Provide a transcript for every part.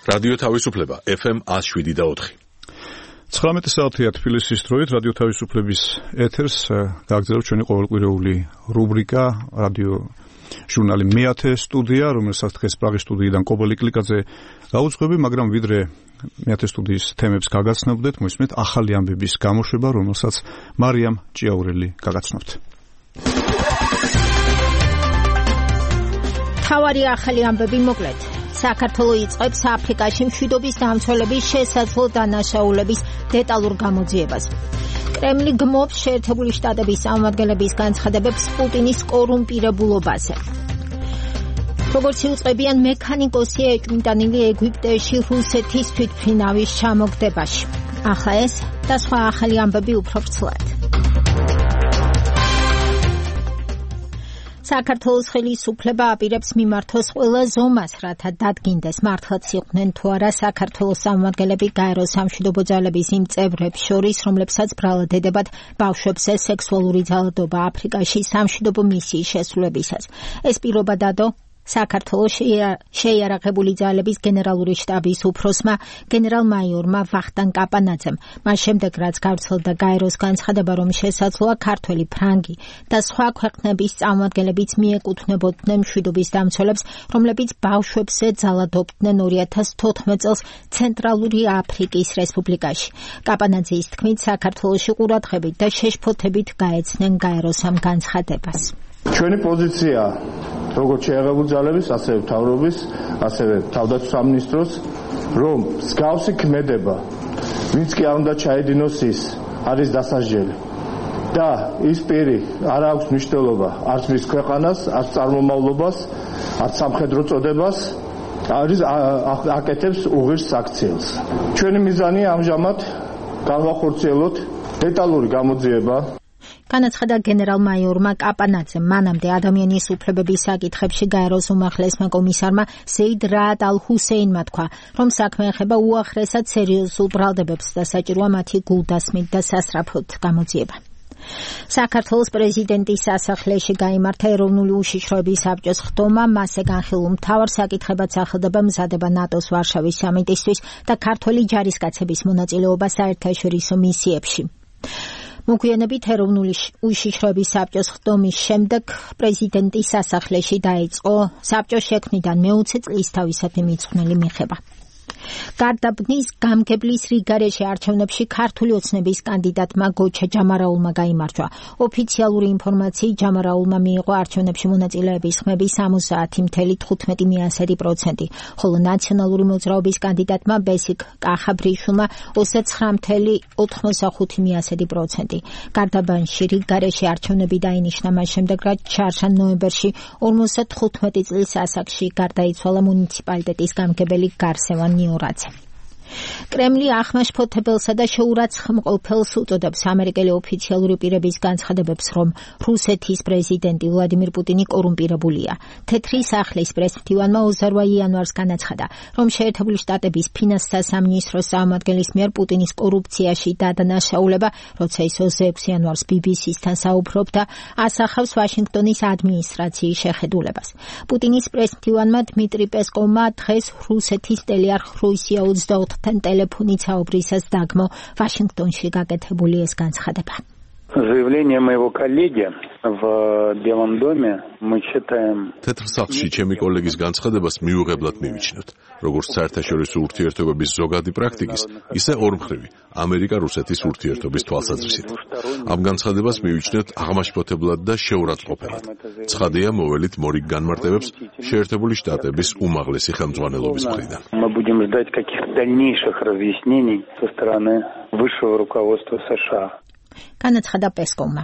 რადიო თავისუფლება FM 107.4. 19 საათია თბილისის დროით რადიო თავისუფლების ეთერს გააგრძელებს ჩვენი ყოველკვირეული რუბრიკა რადიო ჟურნალი მეათე სტუდია, რომელსაც დღეს პრაღის სტუდიიდან კობოლი კლიკაძე გაუძღვები, მაგრამ ვიდრე მეათე სტუდიის თემებს გაგაცნობდეთ, მოისმენთ ახალი ამბების გამოშვება, რომელსაც მარიამ ჭიაურელი გაგაცნობთ. თავარი ახალი ამბები მოკლედ. საქართველოს იწყებს აფრიკაში მშვიდობის დამცველების შესაძლო დანაშაულების დეტალურ გამოძიებას. კრემლი გმობს შეერთებული შტატების წარმომადგენლების განცხადებებს პუტინის კორუმპირებულობაზე. როგორც იუწყებიან მექანიკოსი ეჭვმიტანილი ეგვიპტეში რუსეთის თვითმფრინავის ჩამოგდებაში. ახლა ეს და სხვა ახალი ამბები უფრო ვრცლად. საქართველოს ხელისუფლება აპირებს მიმართოს ყველა ზომას, რათა დადგინდეს მართლაც იყვნენ თუ არა საქართველოს წარმომადგენლები გაერო სამშვიდობო ძალების იმ წევრებს შორის, რომლებსაც ბრალად ედებათ ბავშვებზე სექსუალური ძალადობა აფრიკაში სამშვიდობო მისიის შესრულებისას. ეს პირობა დადო საქართველოს შეიარაღებული ძალების გენერალური შტაბის უფროსმა გენერალ-მაიორმა ვახტანგ კაპანაძემ. მას შემდეგ, რაც გავრცელდა გაეროს განცხადება, რომ შესაძლოა ქართველი, ფრანგი და სხვა ქვეყნების წარმომადგენლებიც მიეკუთვნებოდნენ მშვიდობის დამცველებს, რომლებიც ბავშვებზე ძალადობდნენ 2014 წელს ცენტრალური აფრიკის რესპუბლიკაში. კაპანაძის თქმით, საქართველოში ყურადღებით და შეშფოთებით გაეცნენ გაეროს ამ განცხადებას. ჩვენი პოზიცია როგორც შეიარაღებული ძალების, ასევე მთავრობის, ასევე თავდაცვის სამინისტროს, რომ მსგავსი ქმედება, ვინც კი არ უნდა ჩაედინოს ის, არის დასაჯელი. და ის პირი არ აქვს მნიშვნელობა არც მის ქვეყანას, არც წარმომავლობას, არც სამხედრო წოდებას, აკეთებს უღირს საქციელს. ჩვენი მიზანია ამჟამად განვახორციელოთ დეტალური გამოძიება. განაცხადა გენერალ-მაიორმა კაპანაძემ. მანამდე ადამიანის უფლებების საკითხებში გაეროს უმაღლესმა კომისარმა ზეიდ რაად ალ-ჰუსეინმა თქვა, რომ საქმე ეხება უახლესად სერიოზულ ბრალდებებს და საჭიროა მათი გულდასმით და სასწრაფოდ გამოძიება. საქართველოს პრეზიდენტის სასახლეში გაიმართა ეროვნული უშიშროების საბჭოს ხდომა. მასზე განხილულ მთავარ საკითხებად სახელდება მზადება ნატოს ვარშავის სამიტისთვის და ქართველი ჯარისკაცების მონაწილეობა საერთაშორისო მისიებში. მოგვიანებით ეროვნული უშიშროების საბჭოს ხდომის შემდეგ პრეზიდენტის სასახლეში დაიწყო საბჭოს შექმნიდან მე-20 წლის თავისუფლი მიძღვნილი მიღება. გარდაბნის გამგებლის რიგარეში არჩევნებში ქართული ოცნების კანდიდატმა გოჩა ჯამარაულმა გაიმარჯვა. ოფიციალური ინფორმაციით ჯამარაულმა მიიღო არჩევნებში მონაწილეების ხმები 70.15%, ხოლო ნაციონალური მოძრაობის კანდიდატმა ბესიკ კახაბრიშვილმა 29.85%. გარდაბანში რიგარეში არჩევნები დაინიშნა მას შემდეგ, რაც ჩარშან ნოემბერში 55 წლის ასაკში გარდაიცვალა მუნიციპალიტეტის გამგებელი გარსევან ნიორაძე. კრემლი ახმაშფოთებელსა და შეურაცხმყოფელს უწოდებს ამერიკელი ოფიციალური პირების განცხადებებს, რომ რუსეთის პრეზიდენტი ვლადიმირ პუტინი კორუმპირებულია. თეთრი სახლის პრესმფრთივანმა 28 იანვარს განაცხადა, რომ შეერთებული შტატების ფინანსთა სამინისტროს წარმომადგენლის მიერ პუტინის კორუფციაში დადანაშაულება, როცა ის 26 იანვარს BBC-სთან საუბრობდა, ასახავს ვაშინგტონის ადმინისტრაციის შეხედულებას. პუტინის პრესმფრთივანმა დმიტრი პესკოვმა დღეს რუსეთის ტელეარხ რუსია 24 ტელეფონით საუბრისას დაგმო ვაშინგტონში გაკეთებული ეს განცხადება. Заявление моего коллеги в Белом доме мы считаем. თეთრ სახლში ჩემი კოლეგის განცხადებას მიუღებლად მივიჩნევთ, როგორც საერთაშორისო ურთიერთობების ზოგადი პრაქტიკის, ისე ორმხრივი ამერიკა-რუსეთის ურთიერთობის თვალსაზრისით. ამ განცხადებას მივიჩნევთ აღმაშფოთებლად და შეურაცხმყოფელად. ცხადია, მოველით მორიგ განმარტებებს შეერთებული შტატების უმაღლესი ხელმძღვანელობის მხრიდან. Мы будем ждать каких-то дальнейших разъяснений со стороны высшего руководства США. განაცხადა პესკოვმა.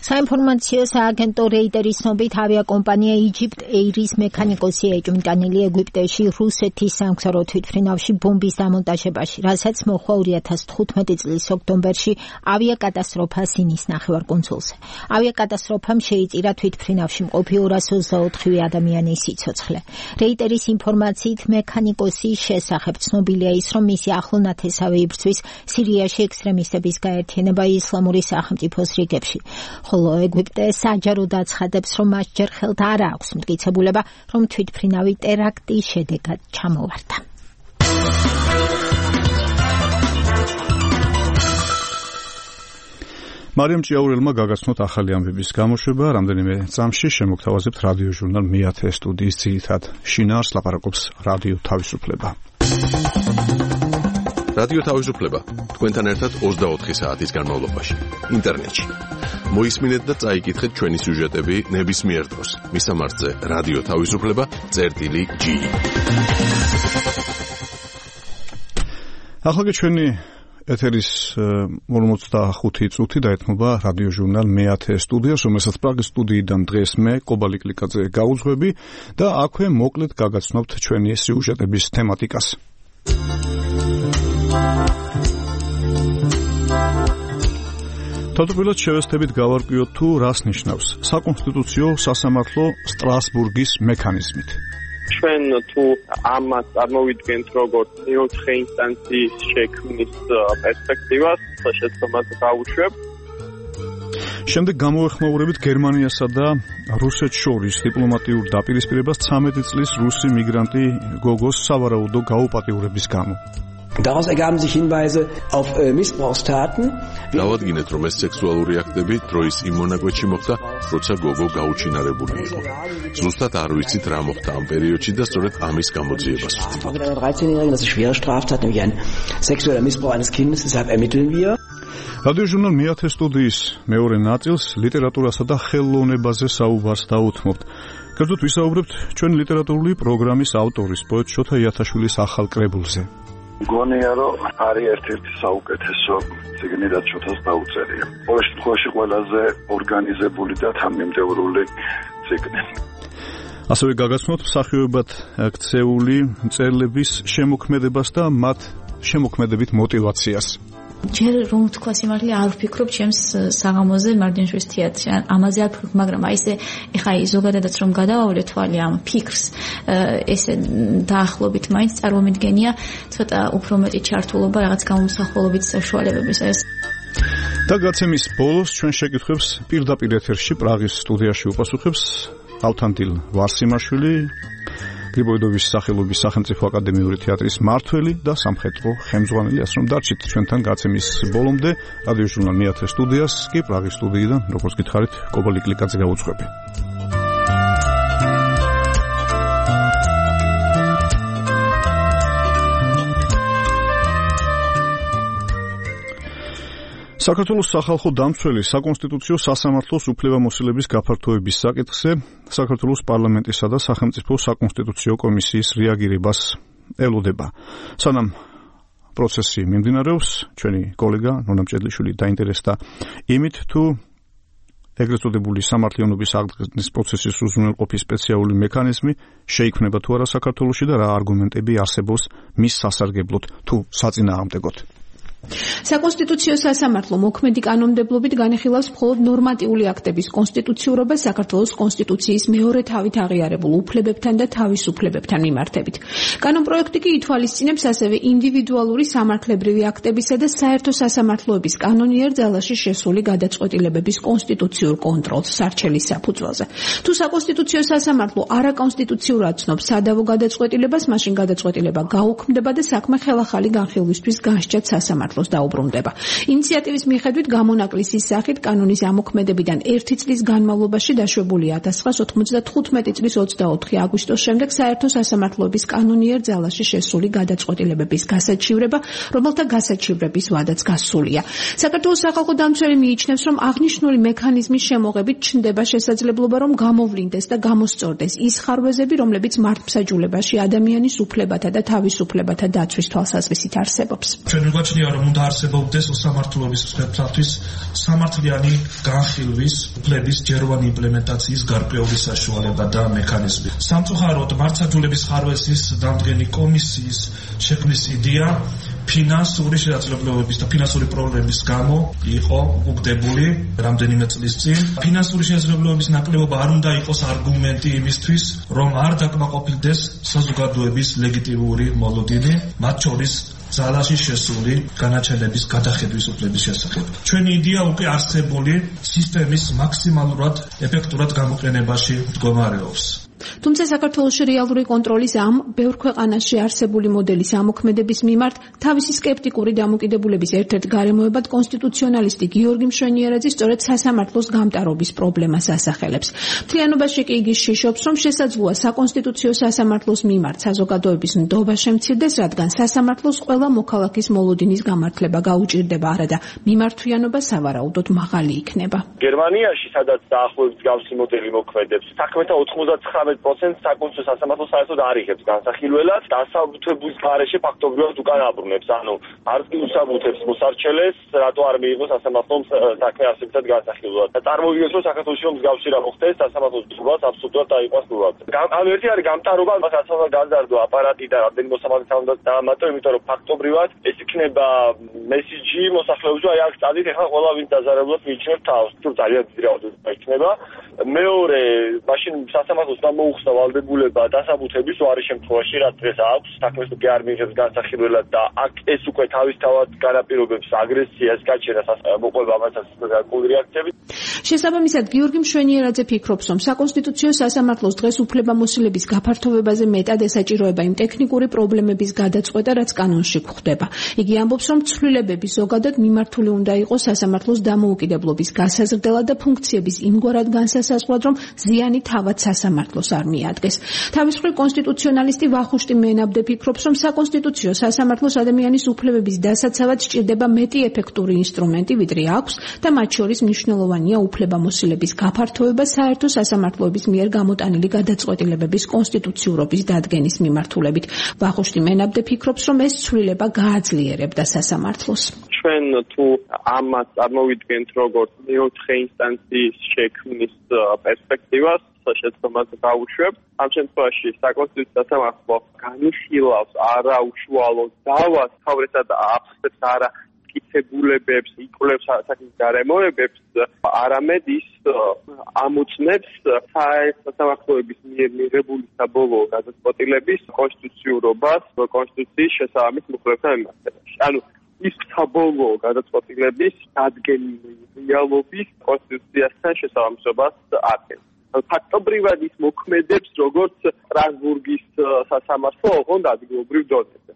საინფორმაციო სააგენტო რეიტერის ცნობით ავიაკომპანია Egypt Air-ის მექანიკოსი ეჭვმიტანილი ეგვიპტეში რუსეთის სამგზავრო თვითმფრინავში ბომბის დამონტაჟებაში, რასაც მოჰყვა 2015 წლის ოქტომბერში ავიაკატასტროფა სინის ნახევარკუნძულზე. ავიაკატასტროფამ შეიწირა თვითმფრინავში მყოფი 224 ადამიანის სიცოცხლე. რეიტერის ინფორმაციით მექანიკოსის შესახებ ცნობილია ის, რომ მისი ახლო ნათესავი იბრძვის სირიაში ექსტრემისტების გაერთიანება ისლამური სახელმწიფოს რიგებში. ხოლო ეგვიპტე საჯაროდ აცხადებს, რომ მას ჯერ ხელთ არ აქვს მტკიცებულება, რომ თვითმფრინავი ტერაქტის შედეგად ჩამოვარდა. მარიამ ჭიაურელმა გაგაცნოთ ახალი ამბების გამოშვება, რამდენიმე წამში შემოგთავაზებთ რადიო ჟურნალ მე-10 სტუდიის ძირითად შინაარს ლაპარაკობს რადიო თავისუფლება. რადიო თავისუფლება თქვენთან ერთად 24 საათის განმავლობაში ინტერნეტში. მოისმინეთ და წაიკითხეთ ჩვენი სიუჟეტები ნებისმიერ დროს. მისამართზე რადიო თავისუფლება.gi. ახლა ჩვენი ეთერის 45 წუთი დაეთმობა რადიო ჟურნალ მე-10 სტუდიას, რომელსაც პრაღის სტუდიიდან დღეს მე კობალი კლიკაძე გაუძღვები და აქვე მოკლედ გაგაცნობთ ჩვენი სიუჟეტების თემატიკას. თავდაპირველად შევესწრებით გავარკვიოთ თუ რას ნიშნავს საკონსტიტუციო სასამართლო სტრასბურგის მექანიზმით. ჩვენ თუ ამას წარმოვიდგენთ როგორც მეოთხე ინსტანციის შექმნის პერსპექტივას, შეცდომას გავუშვებ. შემდეგ გამოეხმაურებით გერმანიასა და რუსეთს შორის დიპლომატიურ დაპირისპირებას 13 წლის რუსი მიგრანტი გოგოს სავარაუდო გაუპატიურების გამო. Daraus ergaben sich Hinweise auf Missbrauchstaten. დავადგინეთ, რომ ეს სექსუალური აქტები დროის იმ მონაკვეთში მოხდა, როცა გოგო გაუჩინარებული იყო. ზუსტად არ ვიცით რა მოხდა ამ პერიოდში და სწორედ ამის გამოძიებას ვწვდით. 13-Jährigen, das ist schwere Straftat, nämlich ein sexueller Missbrauch eines Kindes, deshalb ermitteln wir. რადიო ჟურნალ მე-10 სტუდიის მეორე ნაწილს ლიტერატურასა და ხელოვნებაზე საუბარს დაუთმობთ. კერძოდ ვისაუბრებთ ჩვენი ლიტერატურული პროგრამის ავტორის პოეტ შოთა იათაშვილის ახალ კრებულზე. გონია რომ არის ერთ-ერთი საუკეთესო წიგნი რაც შოთას დაუწერია. ყოველ შემთხვევაში ყველაზე ორგანიზებული და თანმიმდევრული წიგნი. ასევე გაგაცნობთ მსახიობებად ქცეული მწერლების შემოქმედებას და მათ შემოქმედებით мотиваციას. ჯერ რომ თქვა სიმართლე არ ვფიქრობ ჩემს საღამოზე მარჯანიშვილის თეატრში, ამაზე არ ვფიქრობ, მაგრამ აი ესე ეხა ზოგადადაც რომ გადავავლე თვალი ამ ფიქრს, ესე დაახლოებით მაინც წარმომიდგენია ცოტა უფრო მეტი ჩართულობა რაღაც გამომსახველობით საშუალებების ეს. და გაცემის ბოლოს ჩვენ შეკითხვებს პირდაპირ ეთერში პრაღის სტუდიაში უპასუხებს ალთანდილ ვარსიმაშვილი, გრიბოიდოვის სახელობის სახელმწიფო აკადემიური თეატრის მმართველი და სამხედრო ხელმძღვანელი, ასე რომ დარჩით ჩვენთან გაცემის ბოლომდე. რადიო ჟურნალ მე-10 სტუდიას კი პრაღის სტუდიიდან, როგორც გითხარით, კობალი კლიკაძე გაუძღვები. საქართველოს სახალხო დამცველი საკონსტიტუციო სასამართლოს უფლებამოსილების გაფართოების საკითხზე საქართველოს პარლამენტისა და სახელმწიფო საკონსტიტუციო კომისიის რეაგირებას ელოდება. სანამ პროცესი მიმდინარეობს, ჩვენი კოლეგა ნონა მჭედლიშვილი დაინტერესდა იმით, თუ ეგრეთ წოდებული სამართლიანობის აღდგენის პროცესის უზრუნველყოფის სპეციალური მექანიზმი შეიქმნება თუ არა საქართველოში და რა არგუმენტები არსებობს მის სასარგებლოდ თუ საწინააღმდეგოდ. საკონსტიტუციო სასამართლო მოქმედი კანონმდებლობით განიხილავს მხოლოდ ნორმატიული აქტების კონსტიტუციურობას საქართველოს კონსტიტუციის მეორე თავით აღიარებულ უფლებებთან და თავისუფლებებთან მიმართებით. კანონპროექტი კი ითვალისწინებს ასევე ინდივიდუალური სამართლებრივი აქტებისა და საერთო სასამართლოების კანონიერ ძალაში შესული გადაწყვეტილებების კონსტიტუციურ კონტროლს სარჩელის საფუძველზე. თუ საკონსტიტუციო სასამართლო არაკონსტიტუციურად ცნობს სადავო გადაწყვეტილებას, მაშინ გადაწყვეტილება გაუქმდება და საქმე ხელახალი განხილვისთვის გასჯად სასამართლოს დაუბრუნდება. ინიციატივის მიხედვით გამონაკლისის სახით კანონის ამოქმედებიდან 1 წლის განმავლობაში დაშვებული 1995 წლის 24 აგვისტოს შემდეგ საერთო სასამართლოების კანონიერ ძალაში შესული გადაწყვეტილებების გასაჩივრება, რომელთა გასაჩივრების ვადაც გასულია. საქართველოს სახალხო დამცველი მიიჩნევს, რომ აღნიშნული მექანიზმის შემოღებით ჩნდება შესაძლებლობა, რომ გამოვლინდეს და გამოსწორდეს ის ხარვეზები, რომლებიც მართლმსაჯულებაში ადამიანის უფლებათა და თავისუფლებათა დაცვის თვალსაზრისით არსებობს. ჩვენ გვაჩნია, რომ უნდა არსებობდეს სამართლობის მსხვერპლისთვის სამართლიანი განხილვის უფლების ჯეროვანი იმპლემენტაციის გარკვეული საშუალება და მექანიზმი. სამწუხაროდ მართლმსაჯულების ხარვეზის დამდგენი კომისიის შექმნის იდეა ფინანსური შესაძლებლობების და ფინანსური პრობლემის გამო იყო უგდებული რამდენიმე წლის წინ. ფინანსური შესაძლებლობების ნაკლებობა არ უნდა იყოს არგუმენტი იმისთვის, რომ არ დაკმაყოფილდეს საზოგადოების ლეგიტიმური მოლოდინი, მათ შორის ძალაში შესული განაჩენების გადახედვის უფლების შესახებ. ჩვენი იდეა უკვე არსებული სისტემის მაქსიმალურად ეფექტურად გამოყენებაში მდგომარეობს. თუმცა საქართველოში რეალური კონტროლის ამ ბევრ ქვეყანაში არსებული მოდელის ამოქმედების მიმართ თავისი სკეპტიკური დამოკიდებულების ერთ-ერთ გარემოებად კონსტიტუციონალისტი გიორგი მშვენიერაძე სწორედ სასამართლოს გამტარობის პრობლემას ასახელებს. მთლიანობაში კი იგი შიშობს, რომ შესაძლოა საკონსტიტუციო სასამართლოს მიმართ საზოგადოების ნდობა შემცირდეს, რადგან სასამართლოს ყველა მოქალაქის მოლოდინის გამართლება გაუჭირდება, არადა მიმართვიანობა სავარაუდოდ მაღალი იქნება. გერმანიაში, სადაც დაახლოებით მსგავსი მოდელი მოქმედებს, საქმეთა 99% საკონსტიტუციო სასამართლო საერთოდ არ იღებს განსახილველად, დასაბუთებულის გარეშე ფაქტობრივად უკან აბრუნებს. ანუ არც კი უსაბუთებს მოსარჩელეს, რატო არ მიიღო სასამართლომ საქმე არსებითად განსახილველად. წარმოვიდგინოთ, რომ საქართველოში რომ მსგავსი რა მოხდეს, სასამართლოს ჯგუფს აბსოლუტურად დაიყვანს ნულად. ამ ერთი არის გამტარობა, მასაც განზარდო აპარატი და რამდენი მოსამართლე უნდა დაამატო, იმიტომ რომ ფაქტობრივად ეს იქნება მესიჯი მოსახლეობისთვის, აი აქ წადით, ეხლა ყველა ვინ დაზარალებლად მიიჩნევს თავს, თუ ძალიან დიდი რაოდენობა იქნება. მეორე, მაშინ სასამართლოს მოუხსნა ვალდებულება დასაბუთების უარი შემთხვევაში, რაც დღეს აქვს, საქმეს უკვე არ მიიღებს განსახილველად და აქ ეს უკვე თავისთავად განაპირობებს აგრესიას, გაჩენას, მოყვება მასაც გარკვეული რეაქციები. შესაბამისად, გიორგი მშვენიერაძე ფიქრობს, რომ საკონსტიტუციო სასამართლოს დღეს უფლებამოსილების გაფართოვებაზე მეტად ესაჭიროება იმ ტექნიკური პრობლემების გადაწყვეტა, რაც კანონში გვხვდება. იგი ამბობს, რომ ცვლილებები ზოგადად მიმართული უნდა იყოს სასამართლოს დამოუკიდებლობის გასაზრდელად და ფუნქციების იმგვარად განსასაზღვრად, რომ ზიანი თავად სასამართლოს არ მიადგეს. თავის მხრივ კონსტიტუციონალისტი ვახუშტი მენაბდე ფიქრობს, რომ საკონსტიტუციო სასამართლოს ადამიანის უფლებების დასაცავად სჭირდება მეტი ეფექტური ინსტრუმენტი, ვიდრე აქვს და მათ შორის მნიშვნელოვანია უფლებამოსილების გაფართოვება საერთო სასამართლოების მიერ გამოტანილი გადაწყვეტილებების კონსტიტუციურობის დადგენის მიმართულებით. ვახუშტი მენაბდე ფიქრობს, რომ ეს ცვლილება გააძლიერებდა სასამართლოს. ჩვენ თუ ამას წარმოვიდგენთ როგორც მეოთხე ინსტანციის შექმნის პერსპექტივას, შეცდომას გავუშვებთ. ამ შემთხვევაში საკონსტიტუციო სასამართლო განიხილავს არაუშუალო დავას, თავრესად აფხსებს არა მტკიცებულებებს, იკვლევს საქმის გარემოებებს, არამედ ის ამოწმებს სასამართლოების მიერ მიღებული საბოლოო გადაწყვეტილების კონსტიტუციურობას კონსტიტუციის შესაბამის მუხლებთან მიმართებაში. ანუ ის საბოლოო გადაწყვეტილების დადგენილობის კონსტიტუციასთან შესაბამისობას ადგენს. ფაქტობრივად ის მოქმედებს როგორც სტრასბურგის სასამართლო, ოღონდ ადგილობრივ დონეზე.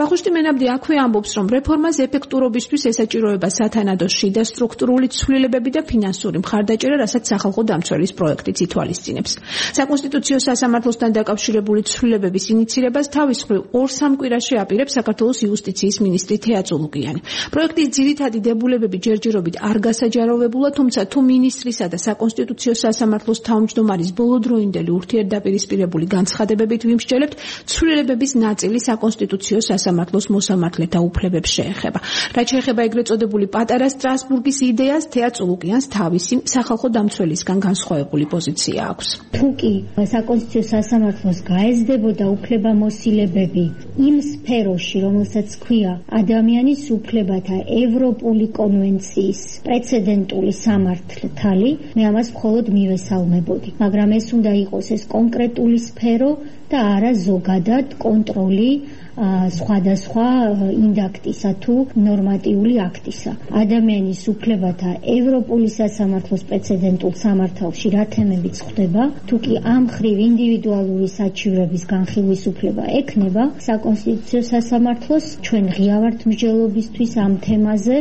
ვახუშტი მენაბდი აქვე ამბობს, რომ რეფორმას ეფექტურობისთვის ესაჭიროება სათანადო შიდა სტრუქტურული ცვლილებები და ფინანსური მხარდაჭერა, რასაც სახალხო დამცველის პროექტიც ითვალისწინებს. საკონსტიტუციო სასამართლოსთან დაკავშირებული ცვლილებების ინიცირებას თავის მხრივ 2-3 კვირაში აპირებს საქართველოს იუსტიციის მინისტრი თეა წულუკიანი. პროექტის ძირითადი დებულებები ჯერჯერობით არ გასაჯაროვებულა, თუმცა თუ მინისტრისა და საკონსტიტუციო სასამართლოს თავმჯდომარის ბოლოდროინდელი ურთიერთდაპირისპირებული განცხადებებით ვიმსჯელებთ, ცვლილებების ნაწილი საკონსტიტუციო სასამართლოს მოსამართლეთა უფლებებს შეეხება. რაც შეეხება ეგრეთ წოდებული პატარა სტრასბურგის იდეას, თეა წულუკიანს თავისი სახალხო დამცველისგან განსხვავებული პოზიცია აქვს. თუ კი საკონსტიტუციო სასამართლოს გაეზდებოდა უფლებამოსილებები იმ სფეროში, რომელსაც ქვია ადამიანის უფლებათა ევროპული კონვენციის პრეცედენტული სამართალი, მე ამას მხოლოდ მივესალმებოდი. მაგრამ ეს უნდა იყოს ეს კონკრეტული სფერო და არა ზოგადად კონტროლი სხვადასხვა ინდაქტისა თუ ნორმატიული აქტისა. ადამიანის უფლებათა ევროპული სასამართლოს პრეცედენტულ სამართალში რა თემებიც ხდება, თუ კი ამ მხრივ ინდივიდუალური საჩივრების განხილვის უფლება ექნება, საკონსტიტუციო სასამართლოს ჩვენ ღია ვართ მსჯელობისთვის ამ თემაზე.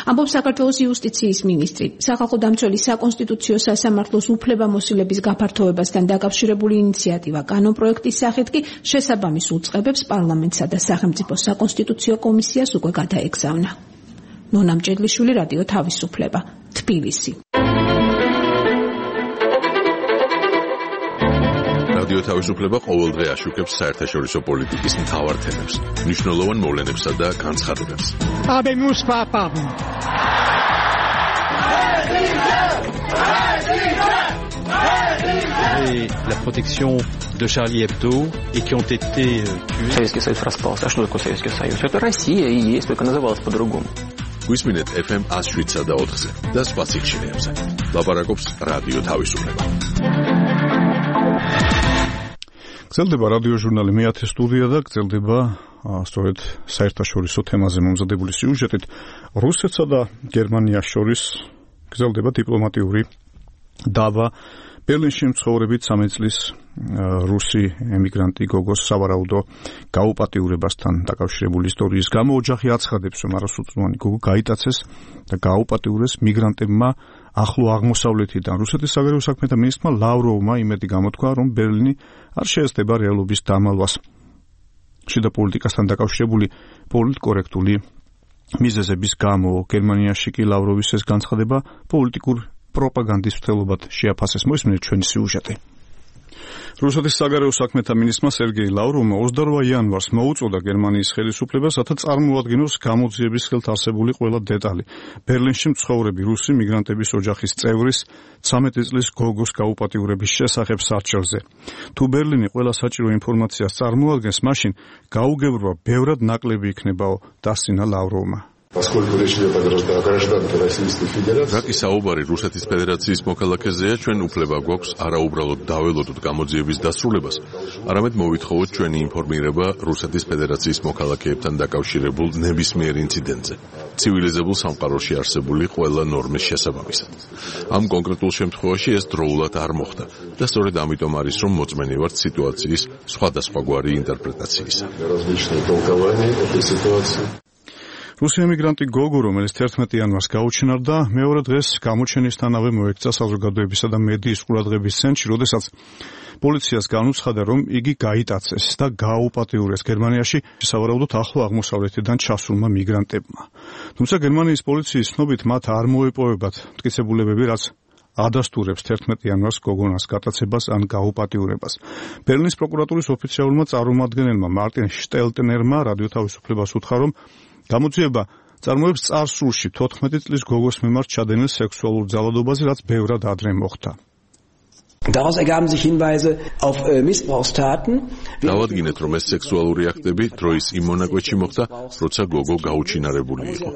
ამბობს საქართველოს იუსტიციის მინისტრი. სახალხო დამცველი საკონსტიტუციო სასამართლოს უფლებამოსილების გაფართოვებასთან დაკავშირებული ინიციატივა კანონპროექტის სახით კი შესაბამის უწყებებს პარლამენტსა და სახელმწიფო საკონსტიტუციო კომისიას უკვე გადაეგზავნა. ნონა მჭედლიშვილი, რადიო თავისუფლება, თბილისი. რადიო თავისუფლება ყოველდღე აშუქებს საერთაშორისო პოლიტიკის მთავარ თემებს, მნიშვნელოვან მოვლენებსა და განცხადებებს. Et la protection de Charlie Hebdo et qui ont été tués. Советский Союз распался. А что такое Советский Союз? Это Россия и есть, только называлась по-другому. Გვისმინეთ FM 107 და 4-ზე და სხვა სიჩქარეებზე. ლაპარაკობს რადიო თავისუფლება. გრძელდება რადიო ჟურნალი მე-10 სტუდია და გრძელდება სწორედ საერთაშორისო თემაზე მომზადებული სიუჟეტით. რუსეთსა და გერმანიას შორის გრძელდება დიპლომატიური დაბა ბერლინში მცხოვრები 13 წლის რუსი ემიგრანტი გოგოს სავარაუდო გაუპატიურებასთან დაკავშირებული ისტორიის გამო ოჯახი აცხადებს, რომ არასრულწლოვანი გოგო გაიტაცეს და გაუპატიურეს მიგრანტებმა ახლო აღმოსავლეთიდან. რუსეთის საგარეო საქმეთა მინისტრმა ლავროვმა იმედი გამოთქვა, რომ ბერლინი არ შეესწრება რეალობის დამალვას. შიდა პოლიტიკასთან დაკავშირებული პოლიტკორექტული მიზეზების გამო გერმანიაში კი ლავროვის ეს განცხადება პოლიტიკურ პროპაგანდის მცდელობად შეაფასეს. მოისმინეთ ჩვენი სიუჟეტი. რუსეთის საგარეო საქმეთა მინისტრმა სერგეი ლავროვმა 28 იანვარს მოუწოდა გერმანიის ხელისუფლებას, რათა წარმოადგინოს გამოძიების ხელთ არსებული ყველა დეტალი. ბერლინში მცხოვრები რუსი მიგრანტების ოჯახის წევრის 13 წლის გოგოს გაუპატიურების შესახებ სარჩელზე. თუ ბერლინი ყველა საჭირო ინფორმაციას წარმოადგენს, მაშინ გაუგებრობა ბევრად ნაკლები იქნებაო, დასცინა ლავროვმა. რაკი საუბარი რუსეთის ფედერაციის მოქალაქეზეა, ჩვენ უფლება გვაქვს არა უბრალოდ დაველოდოთ გამოძიების დასრულებას, არამედ მოვითხოვოთ ჩვენი ინფორმირება რუსეთის ფედერაციის მოქალაქეებთან დაკავშირებულ ნებისმიერ ინციდენტზე, ცივილიზებულ სამყაროში არსებული ყველა ნორმის შესაბამისად. ამ კონკრეტულ შემთხვევაში ეს დროულად არ მოხდა და სწორედ ამიტომ არის, რომ მოწმენი ვართ სიტუაციის სხვადასხვაგვარი ინტერპრეტაციისა. რუსი ემიგრანტი გოგო, რომელიც 11 იანვარს გაუჩინარდა, მეორე დღეს გამოჩენისთანავე მოექცა საზოგადოებისა და მედიის ყურადღების ცენტრში, როდესაც პოლიციას განუცხადა, რომ იგი გაიტაცეს და გააუპატიურეს გერმანიაში სავარაუდოდ ახლო აღმოსავლეთიდან ჩასულმა მიგრანტებმა. თუმცა გერმანიის პოლიციის ცნობით მათ არ მოეპოვებათ მტკიცებულებები, რაც ადასტურებს 11 იანვარს გოგონას გატაცებას ან გაუპატიურებას. ბერლინის პროკურატურის ოფიციალურმა წარმომადგენელმა მარტინ შტელტნერმა რადიო თავისუფლებას უთხრა, რომ გამოძიება წარმოებს წარსულში 14 წლის გოგოს მიმართ ჩადენილ სექსუალურ ძალადობაზე, რაც ბევრად ადრე მოხდა. Daraus ergaben sich Hinweise auf Missbrauchstaten. დავადგინეთ, რომ ეს სექსუალური აქტები დროის იმ მონაკვეთში მოხდა, როცა გოგო გაუჩინარებული იყო.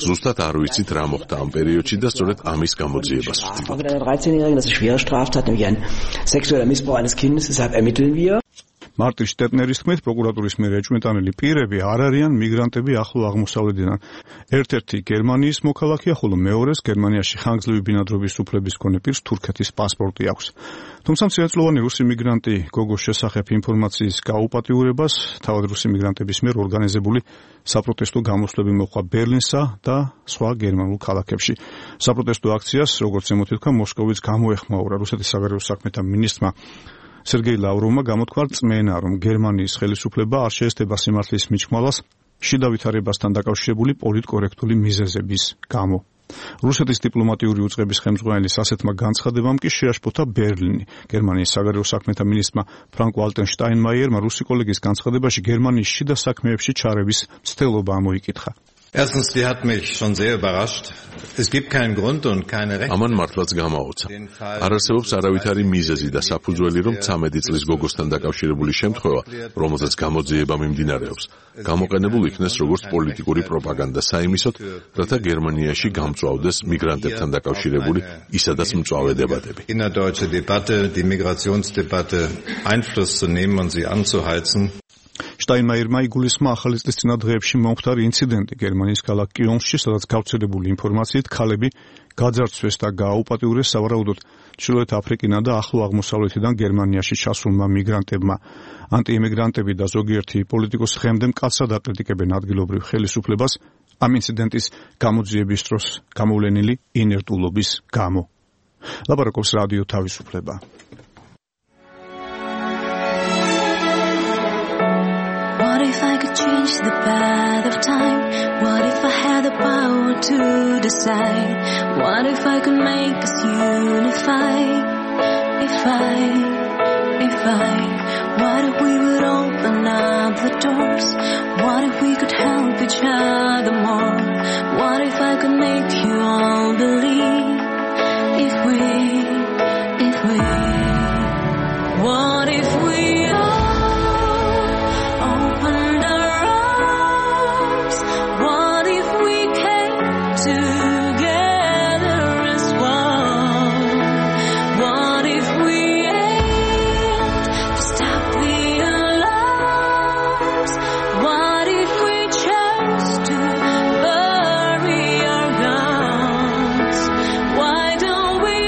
ზუსტად არ ვიცით, რა მოხდა ამ პერიოდში და სწორედ ამის გამოძიებას ვცდილობთ. 13-Jährigen, das ist schwere Straftat, nämlich ein sexueller Missbrauch eines Kindes, deshalb ermitteln wir. მარტინ შტეტნერის თქმით, პროკურატურის მიერ ეჭვმიტანილი პირები არ არიან მიგრანტები ახლო აღმოსავლეთიდან. ერთ-ერთი გერმანიის მოქალაქეა, ხოლო მეორეს გერმანიაში ხანგრძლივი ბინადრობის უფლების მქონე პირს თურქეთის პასპორტი აქვს. თუმცა მცირეწლოვანი რუსი მიგრანტი გოგოს შესახებ ინფორმაციის გაუპატიურებას თავად რუსი მიგრანტების მიერ ორგანიზებული საპროტესტო გამოსვლები მოჰყვა ბერლინსა და სხვა გერმანულ ქალაქებში. საპროტესტო აქციას, როგორც ემოთითქვა, მოსკოვიც გამოეხმაურა. რუსეთის საგარეო საქმეთა მინისტრმა სერგეი ლავროვმა გამოთქვა რწმენა, რომ გერმანიის ხელისუფლება არ შეესწრება სიმართლის მიჭმალას შიდა ვითარებასთან დაკავშირებული პოლიტკორექტული მიზეზების გამო. რუსეთის დიპლომატიური უწყების ხელმძღვანელის ასეთმა განცხადებამ კი შეაშფოთა ბერლინი. გერმანიის საგარეო საქმეთა მინისტრმა ფრანკ ვალტერ შტაინმაიერმა რუსი კოლეგის განცხადებაში გერმანიის შიდა საქმეებში ჩარევის მცდელობა ამოიკითხა. Erstens, die hat mich schon sehr überrascht. Es gibt keinen Grund und keine Rechte. ამან მართლაც გამაოცა. არ არსებობს არავითარი მიზეზი და საფუძველი, რომ 13 წლის გოგოსთან დაკავშირებული შემთხვევა, რომელზეც გამოძიება მიმდინარეობს, გამოყენებულ იქნეს როგორც პოლიტიკური პროპაგანდა საიმისოდ, რათა გერმანიაში გამწვავდეს მიგრანტებთან დაკავშირებული ისედაც მწვავე დებატები. Innerdeutsche Debatte, die Migrationsdebatte Einfluss zu nehmen und sie anzuheizen. შტაინმაიერმა იგულისხმა ახალი წლის წინა დღეებში მომხდარი ინციდენტი გერმანიის ქალაქ კიონში, სადაც გავრცელებული ინფორმაციით ქალები გაძარცვეს და გააუპატიურეს სავარაუდოდ ჩრდილოეთ აფრიკიდან და ახლო აღმოსავლეთიდან გერმანიაში ჩასულმა მიგრანტებმა. ანტიიმიგრანტები და ზოგიერთი პოლიტიკოსი ხემდე მკაცრად აკრიტიკებენ ადგილობრივ ხელისუფლებას ამ ინციდენტის გამოძიების დროს გამოვლენილი ინერტულობის გამო. ლაპარაკობს რადიო თავისუფლება. What if I could change the path of time? What if I had the power to decide? What if I could make us unify? What if we would open up the doors? What if we could help each other more? What if I could make you all believe? If we What if we Why don't we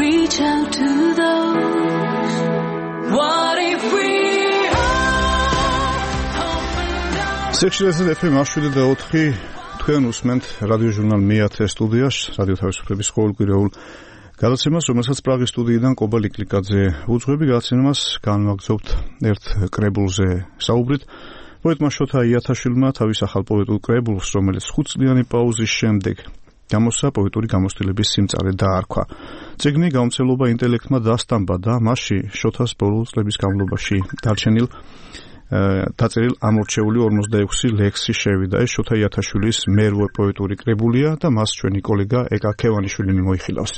reach out to those. What if we სექციაზე FM 7 თქვენ უსმენთ რადიო ჟურნალ მე-10 სტუდიაში, რადიო თავისუფლების ყოველკვირეულ გადაცემას, რომელსაც პრაღის სტუდიიდან კობა ლიკლიკაძე უძღვები. გადაცემას განვაგრძობთ ერთ კრებულზე საუბრით. პოეტმა შოთა იათაშვილმა თავის ახალ პოეტურ კრებულს, რომელიც 5 წლიანი პაუზის შემდეგ გამოსცა, პოეტური გამოცდილების სიმწარე დაარქვა. წიგნი გამომცემლობა ინტელექტმა დასტამბა და მასში შოთას ბოლო წლების განმავლობაში დარჩენილ დაწერილ ამორჩეული 46 ლექსი შევიდა. ეს შოთა იათაშვილის მერვე პოეტური კრებულია და მას ჩვენი კოლეგა ეკა ქევანიშვილი მოიხილავს.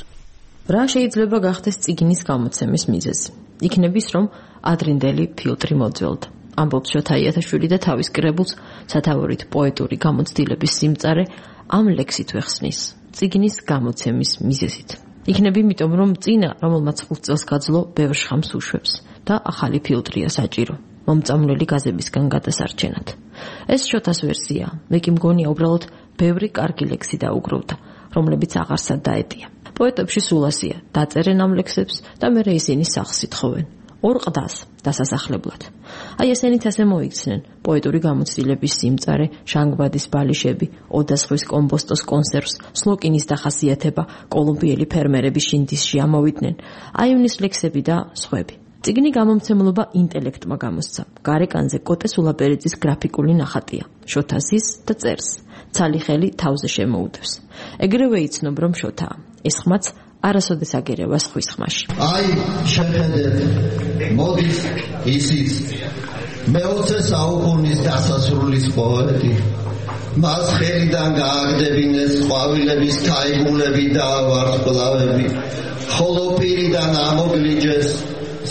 რა შეიძლება გახდეს წიგნის გამოცემის მიზეზი? იქნების რომ ადრინდელი ფილტრი მოძველდა. ამბობს შოთა იათაშვილი და თავის კრებულს სათაურით პოეტური გამოცდილების სიმწარე ამ ლექსით ვეხსნის წიგნის გამოცემის მიზეზით. იქნები იმიტომ რომ წინა რომელმაც 5 წელს გაძლო ბევრ შხამს უშვებს და ახალი ფილტრია საჭირო მომწამვლელი გაზებისგან გადასარჩენად. ეს შოთას ვერსია, მე კი მგონია უბრალოდ ბევრი კარგი ლექსი დაუგროვდა, რომლებიც აღარსად დაეტია. პოეტებში სულ ასია, დაწერენ ამ ლექსებს და მერე ისინი სახს ითხოვენ. ორ ყდას დასასახლებლად. აი ესენით ასე მოიქცნენ პოეტური გამოცდილების სიმწარე, შანგბადის ბალიშები, ოდასხვის კომბოსტოს კონსერვს, სლოკინის დახასიათება, კოლუმბიელი ფერმერების შინდისში ამოვიდნენ, აივნის ლექსები და სხვები. წიგნი გამომცემლობა ინტელექტმა გამოსცა. გარეკანზე კოტე სულაპერიძის გრაფიკული ნახატია. შოთასის და წერს. ცალი ხელი თავზე შემოუდევს. ეგრევე იცნობ რომ შოთაა. ეს ხმაც არასოდეს აგერევა სხვის ხმაში. აი, შეხედეთ, მოდის ისიც მე-20 საუკუნის დასასრულის პოეტი. მას ხელიდან გააგდებინეს ყვავილების თაიგულები და ვარსკვლავები, ხოლო პირიდან ამოგლიჯეს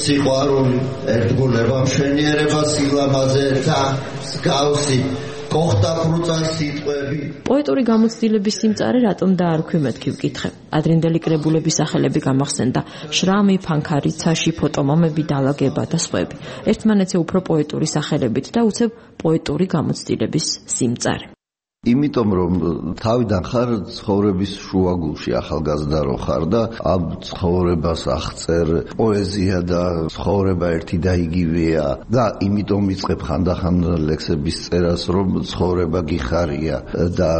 სიყვარული, ერთგულება, მშვენიერება, სილამაზე და მსგავსი კოხტა ფრუწა სიტყვები. პოეტური გამოცდილების სიმწარე რატომ დაარქვი მეთქი ვკითხე. ადრინდელი კრებულების სახელები გამახსენდა: შრამი, ფანქარი, ცაში, ფოტომამები, დალაგება და სხვები. ერთმანეთზე უფრო პოეტური სახელებით და უცებ პოეტური გამოცდილების სიმწარე. იმიტომ რომ თავიდან ხარ ცხოვრების შუაგულში, ახალგაზრდა რო ხარ და ამ ცხოვრებას აღწერ პოეზია და ცხოვრება ერთი და იგივეა და იმიტომ ვიწყებ ხანდახან ლექსების წერას, რომ ცხოვრება გიხარია და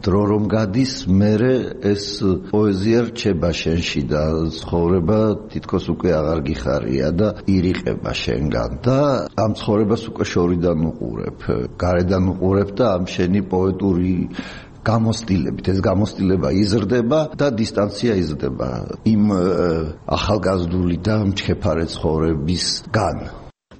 დრო რომ გადის, მერე ეს პოეზია რჩება შენში და ცხოვრება თითქოს უკვე აღარ გიხარია და ირიყება შენგან და ამ ცხოვრებას უკვე შორიდან უყურებ, გარედან უყურებ და ამ შენი პოეტური გამოცდილებით ეს გამოცდილება იზრდება და დისტანცია იზრდება იმ ახალგაზრდული და მჩქეფარე ცხოვრებისგან.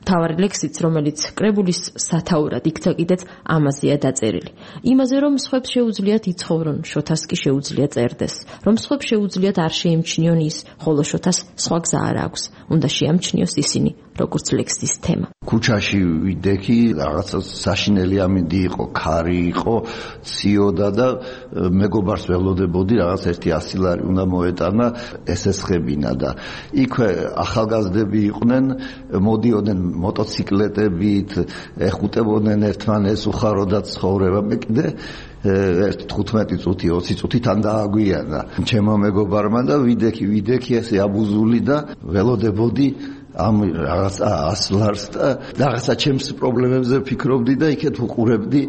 თავარი ლექსიც, რომელიც კრებულის სათაურად იქცა კიდეც ამაზეა დაწერილი. იმაზე, რომ სხვებს შეუძლიათ იცხოვრონ, შოთას კი შეუძლია წერდეს. რომ სხვებს შეუძლიათ არ შეიმჩნიონ ის, ხოლო შოთას სხვა გზა არ აქვს. უნდა შეამჩნიოს ისინი, როგორც ლექსის თემა. ქუჩაში ვიდექი, რაღაცა საშინელი ამინდი იყო, ქარი იყო, ციოდა და მეგობარს ველოდებოდი, რაღაც 100 ლარი უნდა მოეტანა, ესესხებინა და იქვე ახალგაზრდები იყვნენ, მოდიოდნენ მოტოციკლეტებით, ეხუტებოდნენ ერთმანეს, უხაროდათ ცხოვრება. მე კიდე 15 წუთი, 20 წუთი თან დააგვიანა ჩემო მეგობარმა და ვიდექი ესე აბუზული და ველოდებოდი ამ რაღაცა 100 ლარს და რაღაცა ჩემს პრობლემებზე ფიქრობდი და იქეთ უყურებდი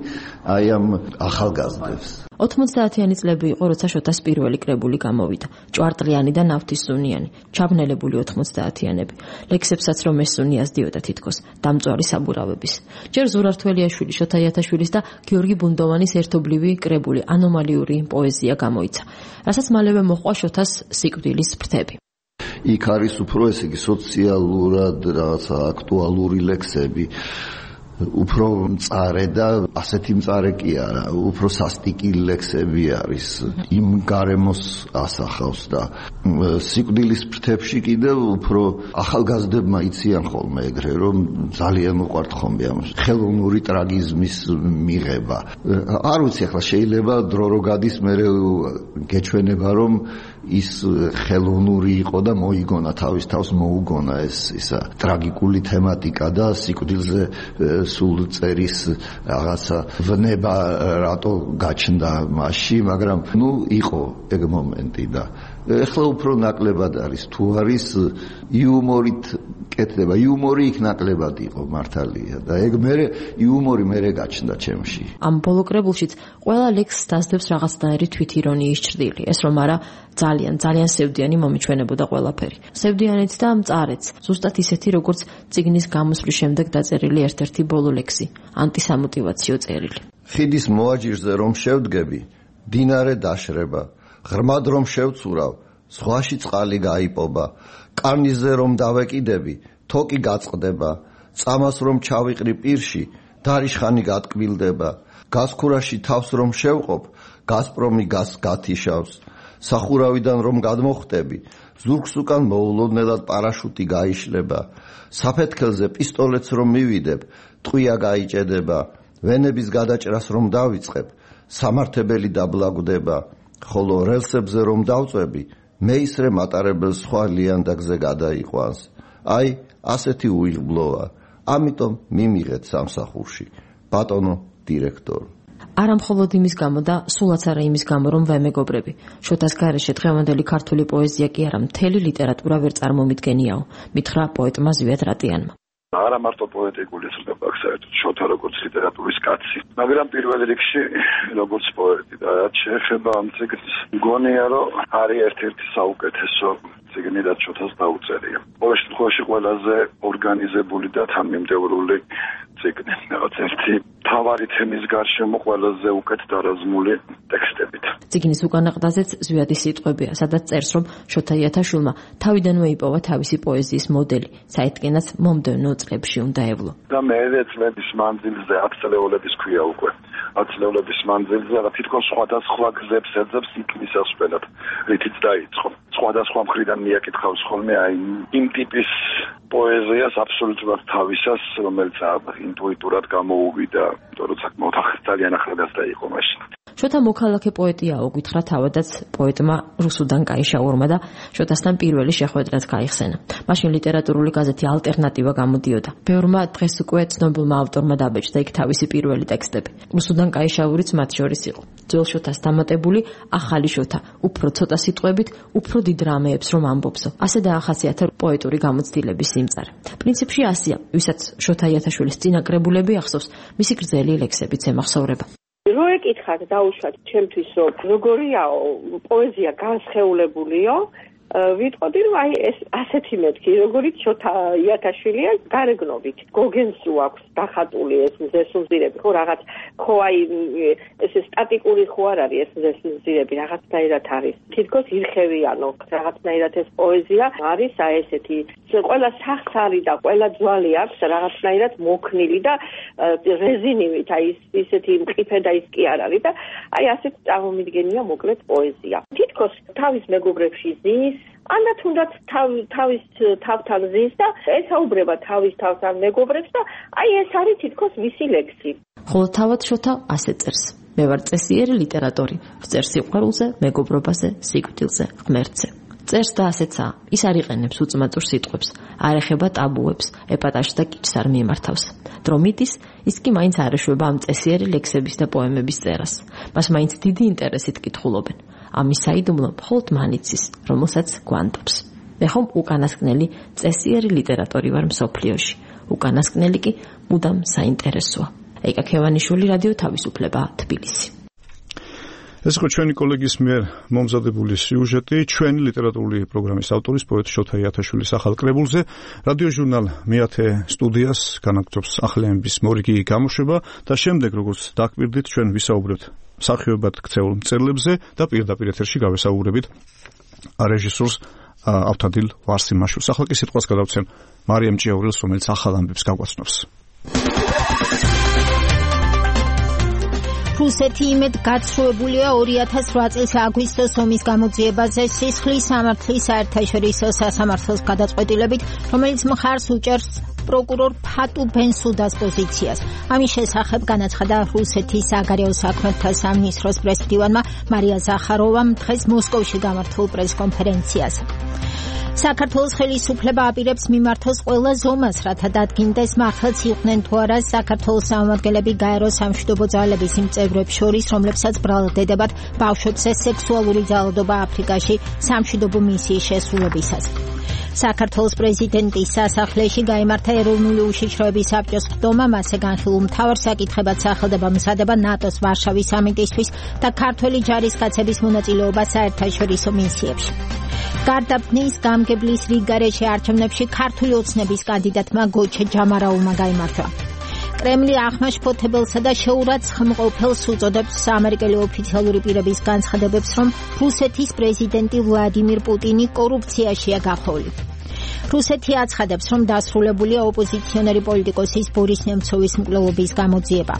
აი ამ ახალგაზრდებს. 90-იანი წლები იყო, როცა შოთას პირველი კრებული გამოვიდა. ჭვარტლიანი და ნავთისუნიანი, ჩაბნელებული 90-იანები. ლექსებსაც რომ ესუნი ასდიოდა თითქოს დამწვარი საბურავების. ჯერ ზურართველიაშვილი, შოთა იათაშვილის და გიორგი ბუნდოვანის ერთობლივი კრებული ანომალიური პოეზია გამოიცა, რასაც მალევე მოჰყვა შოთას სიკვდილის ფრთები. იქ არის უფრო ესე იგი სოციალურად რაღაცა აქტუალური ლექსები, უფრო მწარე და ასეთი მწარე კი არა, უფრო სასტიკი ლექსები არის, იმ გარემოს ასახავს და სიკვდილის ფრთებში კიდევ უფრო ახალგაზრდებმა იციან ხოლმე ეგრე, რომ ძალიან უყვართ ხოლმე ამ ხელოვნური ტრაგიზმის მიღება. არ ვიცი, ახლა შეიძლება დრო რო გადის, მერე გეჩვენება რომ ის ხელოვნური იყო და მოიგონა, თავის თავს მოუგონა ეს ისა ტრაგიკული თემატიკა და სიკვდილზე სულ წერის რაღაცა ვნება რატო გაჩნდა მასში, მაგრამ ნუ იყო ეგ მომენტი და ეხლა უფრო ნაკლებად არის თუ არის იუმორით კეთდება იუმორი იქ ნაკლებად იყო მართალია და ეგ მე იუმორი მე გაჩნდა ჩემში ამ ბოლო კრებულშიც ყველა ლექსს დასდებს რაღაცნაირი თვითირონიის ჭრილი ეს რომ არა ძალიან სევდიანი მომიჩვენებოდა ყველაფერი სევდიანიც და მწარეც ზუსტად ისეთი როგორც წიგნის გამოსვლის შემდეგ დაწერილი ერთ-ერთი ბოლო ლექსი ანტისამოტივაციო წერილი ხიდის მოაჯირზე რომ შევდგები დინარე დაშრება ღრმად რომ შევცურავ ზღვაში წყალი გაიპობა კარნიზზე რომ დავეკიდები თოკი გაწყდება წამას რომ ჩავიყრი პირში დარიშხანი გატკბილდება გასქურაში თავს რომ შევყოფ გასპრომი გას გათიშავს სახურავიდან რომ გადმოხტები ზურგს უკან მოულოდნელად პარაშუტი გაიშლება საფეთქელზე პისტოლეტს რომ მივიდებ ტყვია გაიჭედება ვენების გადაჭრას რომ დავიწყებ სამართებელი დაბლაგდება ხოლო რელსებზე რომ დავწვევი მეისრე მატარებელს სხვა ლიანდაგზე გადაიყვანს აი ასეთი უიღბლოა ამიტომ მიმიღეთ სამსახურში ბატონო დირექტორი არა მხოლოდ იმის გამო და სულაც არა იმის გამო რომ ვემეგობრები შოთას გარეშე დღევანდელი ქართული პოეზია კი არა მთელი ლიტერატურა ვერ წარმომიდგენიაო მითხრა პოეტმა ზვიად რატიანმა არა მარტო პოეტიკული ცნობა აქვს საერთოდ შოთა როგორც ლიტერატურის კაცი მაგრამ პირველ რიგში როგორც პოეტი და რაც შეეხება ამ ციგნს მგონია რომ არის ერთ-ერთი საუკეთესო ციგნი რაც შოთას დაუწერია ყოველ შემთხვევაში ყველაზე ორგანიზებული და თანმიმდევრული ციგნი რაღაც ერთი თავარი თემის გარშემო ყველაზე უკეთ დარაზმული ტექსტებით ციგნის უკანა ყდაზეც ზვიადი სიტყვებია სადაც წერს რომ შოთა იათაშვილი თავიდანვე იპოვა თავისი პოეზიის მოდელი საერთკენაც მომდევნო წლებში უნდა ევლო და მე წლების მანძილზე 10 წლეულების ქვია უკვე 10 წლეულების მანძილზე რა თითქოს სხვადასხვა გზებს ეძებს იქნისას ყველად რითიც დაიწყო სხვადასხვა მხრიდან მიაკითხავს ხოლმე აი იმ ტიპის პოეზიას აბსოლუტურად თავისას რომელიც ინტუიტურად გამოუვიდა თორემ საკმაოდ ძალიან ახლადაც იყო მაშინ შოთა მოქალაქე პოეტიაო გითხრა თავადაც პოეტმა რუსუდან კაიშაურმა და შოთასთან პირველი შეხვედრაც გაიხსენა მაშინ ლიტერატურული გაზეთი ალტერნატივა გამოდიოდა ბევრმა დღეს უკვე ცნობილმა ავტორმა დაბეჭდა იქ თავისი პირველი ტექსტები რუსუდან კაიშაურიც მათ შორის იყო ძველ შოთას დამატებული ახალი შოთა უფრო ცოტა სიტყვებით უფრო დიდ რამეებს რომ ამბობსო ასე დაახასიათა პოეტური გამოცდილების სიმწარე პრინციპში ასია ვისაც შოთა იათაშვილის წინაკრებულები ახსოვს მისი გრძელი ლექსებიც ემახსოვრება რო ეკითხათ დაუშვათ ჩემთვის როგორიაო პოეზია განსხეულებულიო ვიტყოდი რომ აი ეს ასეთი მეთქი როგორიც შოთა იათაშვილია გარეგნობით გოგენს აქვს დახატული ეს მზესუმზირები ხო რაღაც ხო აი ეს სტატიკური ხო არ არის ეს მზესუმზირები რაღაცნაირად არის თითქოს ირხევიანო რაღაცნაირად ეს პოეზია არის აი ესეთი ყველა სახს არის და ყველა ძვალი აქვს რაღაცნაირად მოქნილი და რეზინივით აი ისეთი მყიფე და ის კი არ არის და აი ასეთ წარმომიდგენია მოკლედ პოეზია თითქოს თავის მეგობრებში ზის ანა თუნდაც თავის თავთან ზის და ესაუბრება თავის თავთან მეგობრებს და აი ეს არის თითქოს მისი ლექსი. ხოლო თავად შოთა ასე წერს. მე ვარ წესიერი ლიტერატორი, ვწერ სიყვარულზე, მეგობრობაზე, სიკვდილზე, ღმერთზე. წერს და ასეცაა. ის არ იყენებს უწმაწურ სიტყვებს, არ ეხება ტაბუებს, ეპატაჟს და კიჩს არ მიემართავს. დრომიტის ის კი მაინც არ ეშვება ამ წესიერი ლექსების და პოემების წერას. მას მაინც დიდი ინტერესით კითხულობენ. ამის საიდუმლო მხოლოდ მანიცის, რომელსაც გვანტობს. მე ხომ უკანასკნელი წესიერი ლიტერატორი ვარ მსოფლიოში. უკანასკნელი კი მუდამ საინტერესოა. ეკა ქევანიშვილი რადიო თავისუფლება თბილისი. ეს იყო ჩვენი კოლეგის მიერ მომზადებული სიუჟეტი ჩვენი ლიტერატურული პროგრამის ავტორის პოეტ შოთა იათაშვილის ახალ კრებულზე რადიო ჟურნალ მეათე სტუდიას განაგრძობს ახლებების მორიგი გამოშვება და შემდეგ როგორც დაგვირდით ჩვენ ვისაუბრებთ მსახიობად ქცეულ მწერლებზე და პირდაპირ ეთერში გავესაუბრებით რეჟისორს ავთადილ ვარსიმაშვილს. ახლა კი სიტყვას გადავცემ მარიამ ჭიაურელს, რომელიც ახალ ამბებს გაგვაცნობს. რუსეთი იმედ გაცრუებულია 2008 წლის აგვისტოს ომის გამოძიებაზე სისხლის სამართლის საერთაშორისო სასამართლოს გადაწყვეტილებით, რომელიც მხარს უჭერს პროკურორ ფატუ ბენსუდას პოზიციას. ამის შესახებ განაცხადა რუსეთის საგარეო საქმეთა სამინისტროს პრესმდივანმა მარია ზახაროვამ დღეს მოსკოვში გამართულ პრესკონფერენციაზე. საქართველოს ხელისუფლება აპირებს მიმართოს ყველა ზომას, რათა დადგინდეს მართლაც იყვნენ თუ არა საქართველოს წარმომადგენლები გაერო სამშვიდობო ძალების იმ წევრებს შორის, რომლებსაც ბრალდებათ ბავშვებზე სექსუალური ძალადობა აფრიკაში სამშვიდობო მისიის შესრულებისას. საქართველოს პრეზიდენტის სასახლეში გაიმართა ეროვნული უშიშროების საბჭოს ხდომა, მასზე განხილულ მთავარ საკითხებად სახელდება მზადება ნატოს ვარშავის სამიტისთვის და ქართველი ჯარისკაცების მონაწილეობა საერთაშორისო მისიებში. გარდაბნის გამგებლის რიგგარეშე არჩევნებში ქართული ოცნების კანდიდატმა გოჩე ჯამარაულმა გაიმარჯვა. კრემლი აღმაშფოთებელსა და შეურაცხმყოფელს უწოდებს ამერიკელი ოფიციალური პირების განცხადებებს, რომ რუსეთის პრეზიდენტი ვლადიმირ პუტინი კორუფციაშია გახოვლი. რუსეთი აცხადებს, რომ დასრულებულია ოპოზიციონერი პოლიტიკოსის ბორის ნემცოვის მკვლელობის გამოძიება.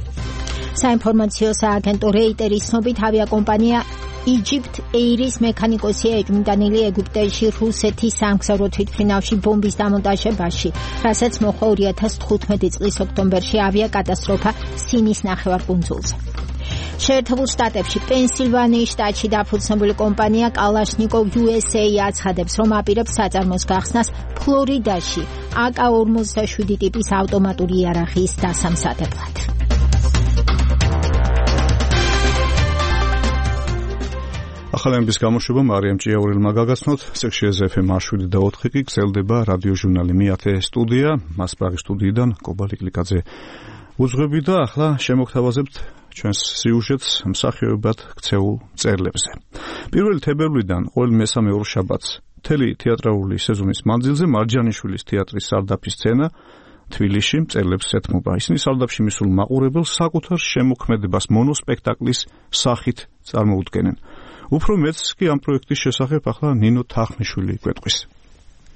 საინფორმაციო სააგენტო რეიტერის ცნობით ავიაკომპანია Egypt Air-ის მექანიკოსია ეჭვმიტანილი ეგვიპტეში რუსეთის სამგზავრო თვითმფრინავში ბომბის დამონტაჟებაში, რასაც მოჰყვა 2015 წლის ოქტომბერში ავიაკატასტროფა სინის ნახევარკუნძულზე. შეერთებულ შტატებში პენსილვანიის შტატში დაფუძნებული კომპანია კალაშნიკოვ USA აცხადებს, რომ აპირებს საწარმოს გახსნას ფლორიდაში AK-47 ტიპის ავტომატური იარაღის დასამზადებლად. ახალების გამოშვება მარიამ ჭიაურელმა გაგაცნოთ. სექციაზე FM 7 და 4 კი გრძელდება რადიო ჟურნალი მეათე სტუდია, მას პრაღის სტუდიიდან კობალი კლიკაძე უძღვები და ახლა შემოგთავაზებთ ჩვენს სიუჟეტს მსახიობად ქცეულ მწერლებზე. 1 თებერვლიდან ყოველ მესამე ორშაბათს მთელი თეატრალური სეზონის მანძილზე მარჯანიშვილის თეატრის სარდაფის სცენა თბილისში მწერლებს ეთმობა. ისინი სარდაფში მისულ მაყურებელს საკუთარ შემოქმედებას მონოსპექტაკლის სახით წარმოუდგენენ. უფრო მეც კი ამ პროექტის შესახებ ახლა ნინო თახნიშვილი გვეტყვის.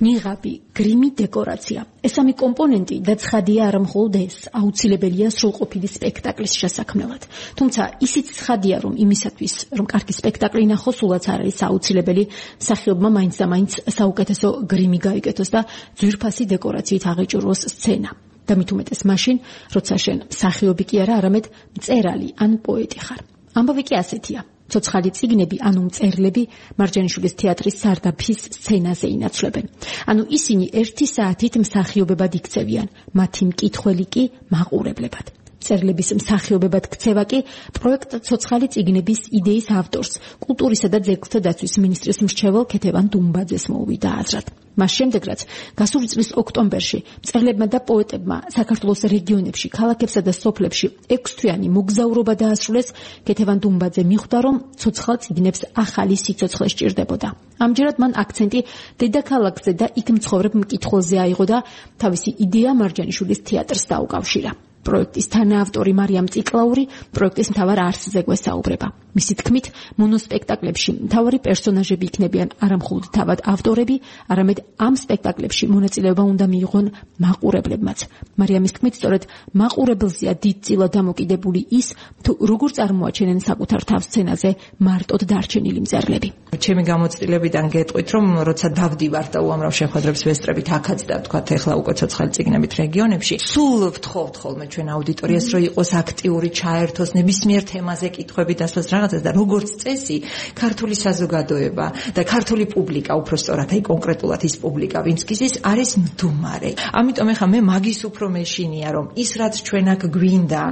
ნიღაბი, გრიმი, დეკორაცია. ეს სამი კომპონენტი და ცხადია არა მხოლოდ ეს, აუცილებელია სრულყოფილი სპექტაკლის შესაქმნელად. თუმცა ისიც ცხადია, რომ იმისათვის, რომ კარგი სპექტაკლი ნახოს, სულაც არ არის აუცილებელი მსახიობმა მაინც და მაინც საუკეთესო გრიმი გაიკეთოს და ძვირფასი დეკორაციით აღეჭურვოს სცენა. და მით უმეტეს მაშინ, როცა შენ მსახიობი კი არა, არამედ მწერალი ან პოეტი ხარ. ამბავი კი ასეთია. ცოცხალი წიგნები, ანუ მწერლები მარჯანიშვილის თეატრის სარდაფის სცენაზე ინაცვლებენ. ანუ ისინი 1 საათით მსახიობებად იქცევიან, მათი მკითხველი კი მაყურებლებად. მწერლების მსახიობებად ქცევა კი პროექტ ცოცხალი წიგნების იდეის ავტორს, კულტურისა და ძეგლთა დაცვის მინისტრის მრჩეველ ქეთევან დუმბაძეს მოუვიდა აზრად. მას შემდეგ, რაც გასული წლის ოქტომბერში მწერლებმა და პოეტებმა საქართველოს რეგიონებში, ქალაქებსა და სოფლებში 6 თვიანი მოგზაურობა დაასრულეს, ქეთევან დუმბაძე მიხვდა, რომ ცოცხალ წიგნებს ახალი სიცოცხლე სჭირდებოდა. ამჯერად მან აქცენტი დედაქალაქზე და იქ მცხოვრებ მკითხველზე აიღო და თავისი იდეა მარჯანიშვილის თეატრს დაუკავშირა. პროექტის თანაავტორი მარიამ ციკლაური პროექტის მთავარ არსზე გვესაუბრება. მისი თქმით, მონოსპექტაკლებში მთავარი პერსონაჟები იქნებიან არა მხოლოდ თავად ავტორები, არამედ ამ სპექტაკლებში მონაწილეობა უნდა მიიღონ მაყურებლებმაც. მარიამის თქმით, სწორედ მაყურებელზეა დიდწილად დამოკიდებული ის, თუ როგორ წარმოაჩენენ საკუთარ თავს სცენაზე მარტოდ დარჩენილი მწერლები. ჩემი გამოცდილებიდან გეტყვით, რომ როცა დავდივარ და უამრავ შეხვედრებს ვესწრებით აქაც და თქვათ ეხლა უკვე ცოცხალი წიგნებით რეგიონებში, სულ ვთხოვთ ხოლმე ჩვენ აუდიტორიას, რომ იყოს აქტიური, ჩაერთოს ნებისმიერ თემაზე კითხვები დასვას რაღაცას და როგორც წესი, ქართული საზოგადოება და ქართული პუბლიკა, უფრო სწორად, აი კონკრეტულად ის პუბლიკა, ვინც გიზის, არის მდუმარე. ამიტომ ეხლა მე მაგის უფრო მეშინია, რომ ის რაც ჩვენ აქ გვინდა,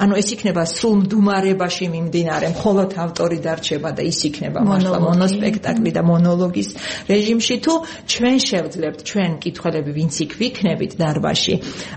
ანუ ეს იქნება სრულ მდუმარებაში მიმდინარე, მხოლოდ ავტორი დარჩება და ის იქნება მართლა მონოსპექტაკლი და მონოლოგის რეჟიმში, თუ ჩვენ შევძლებთ, ჩვენ კითხველები, ვინც იქ ვიქნებით დარბაზში,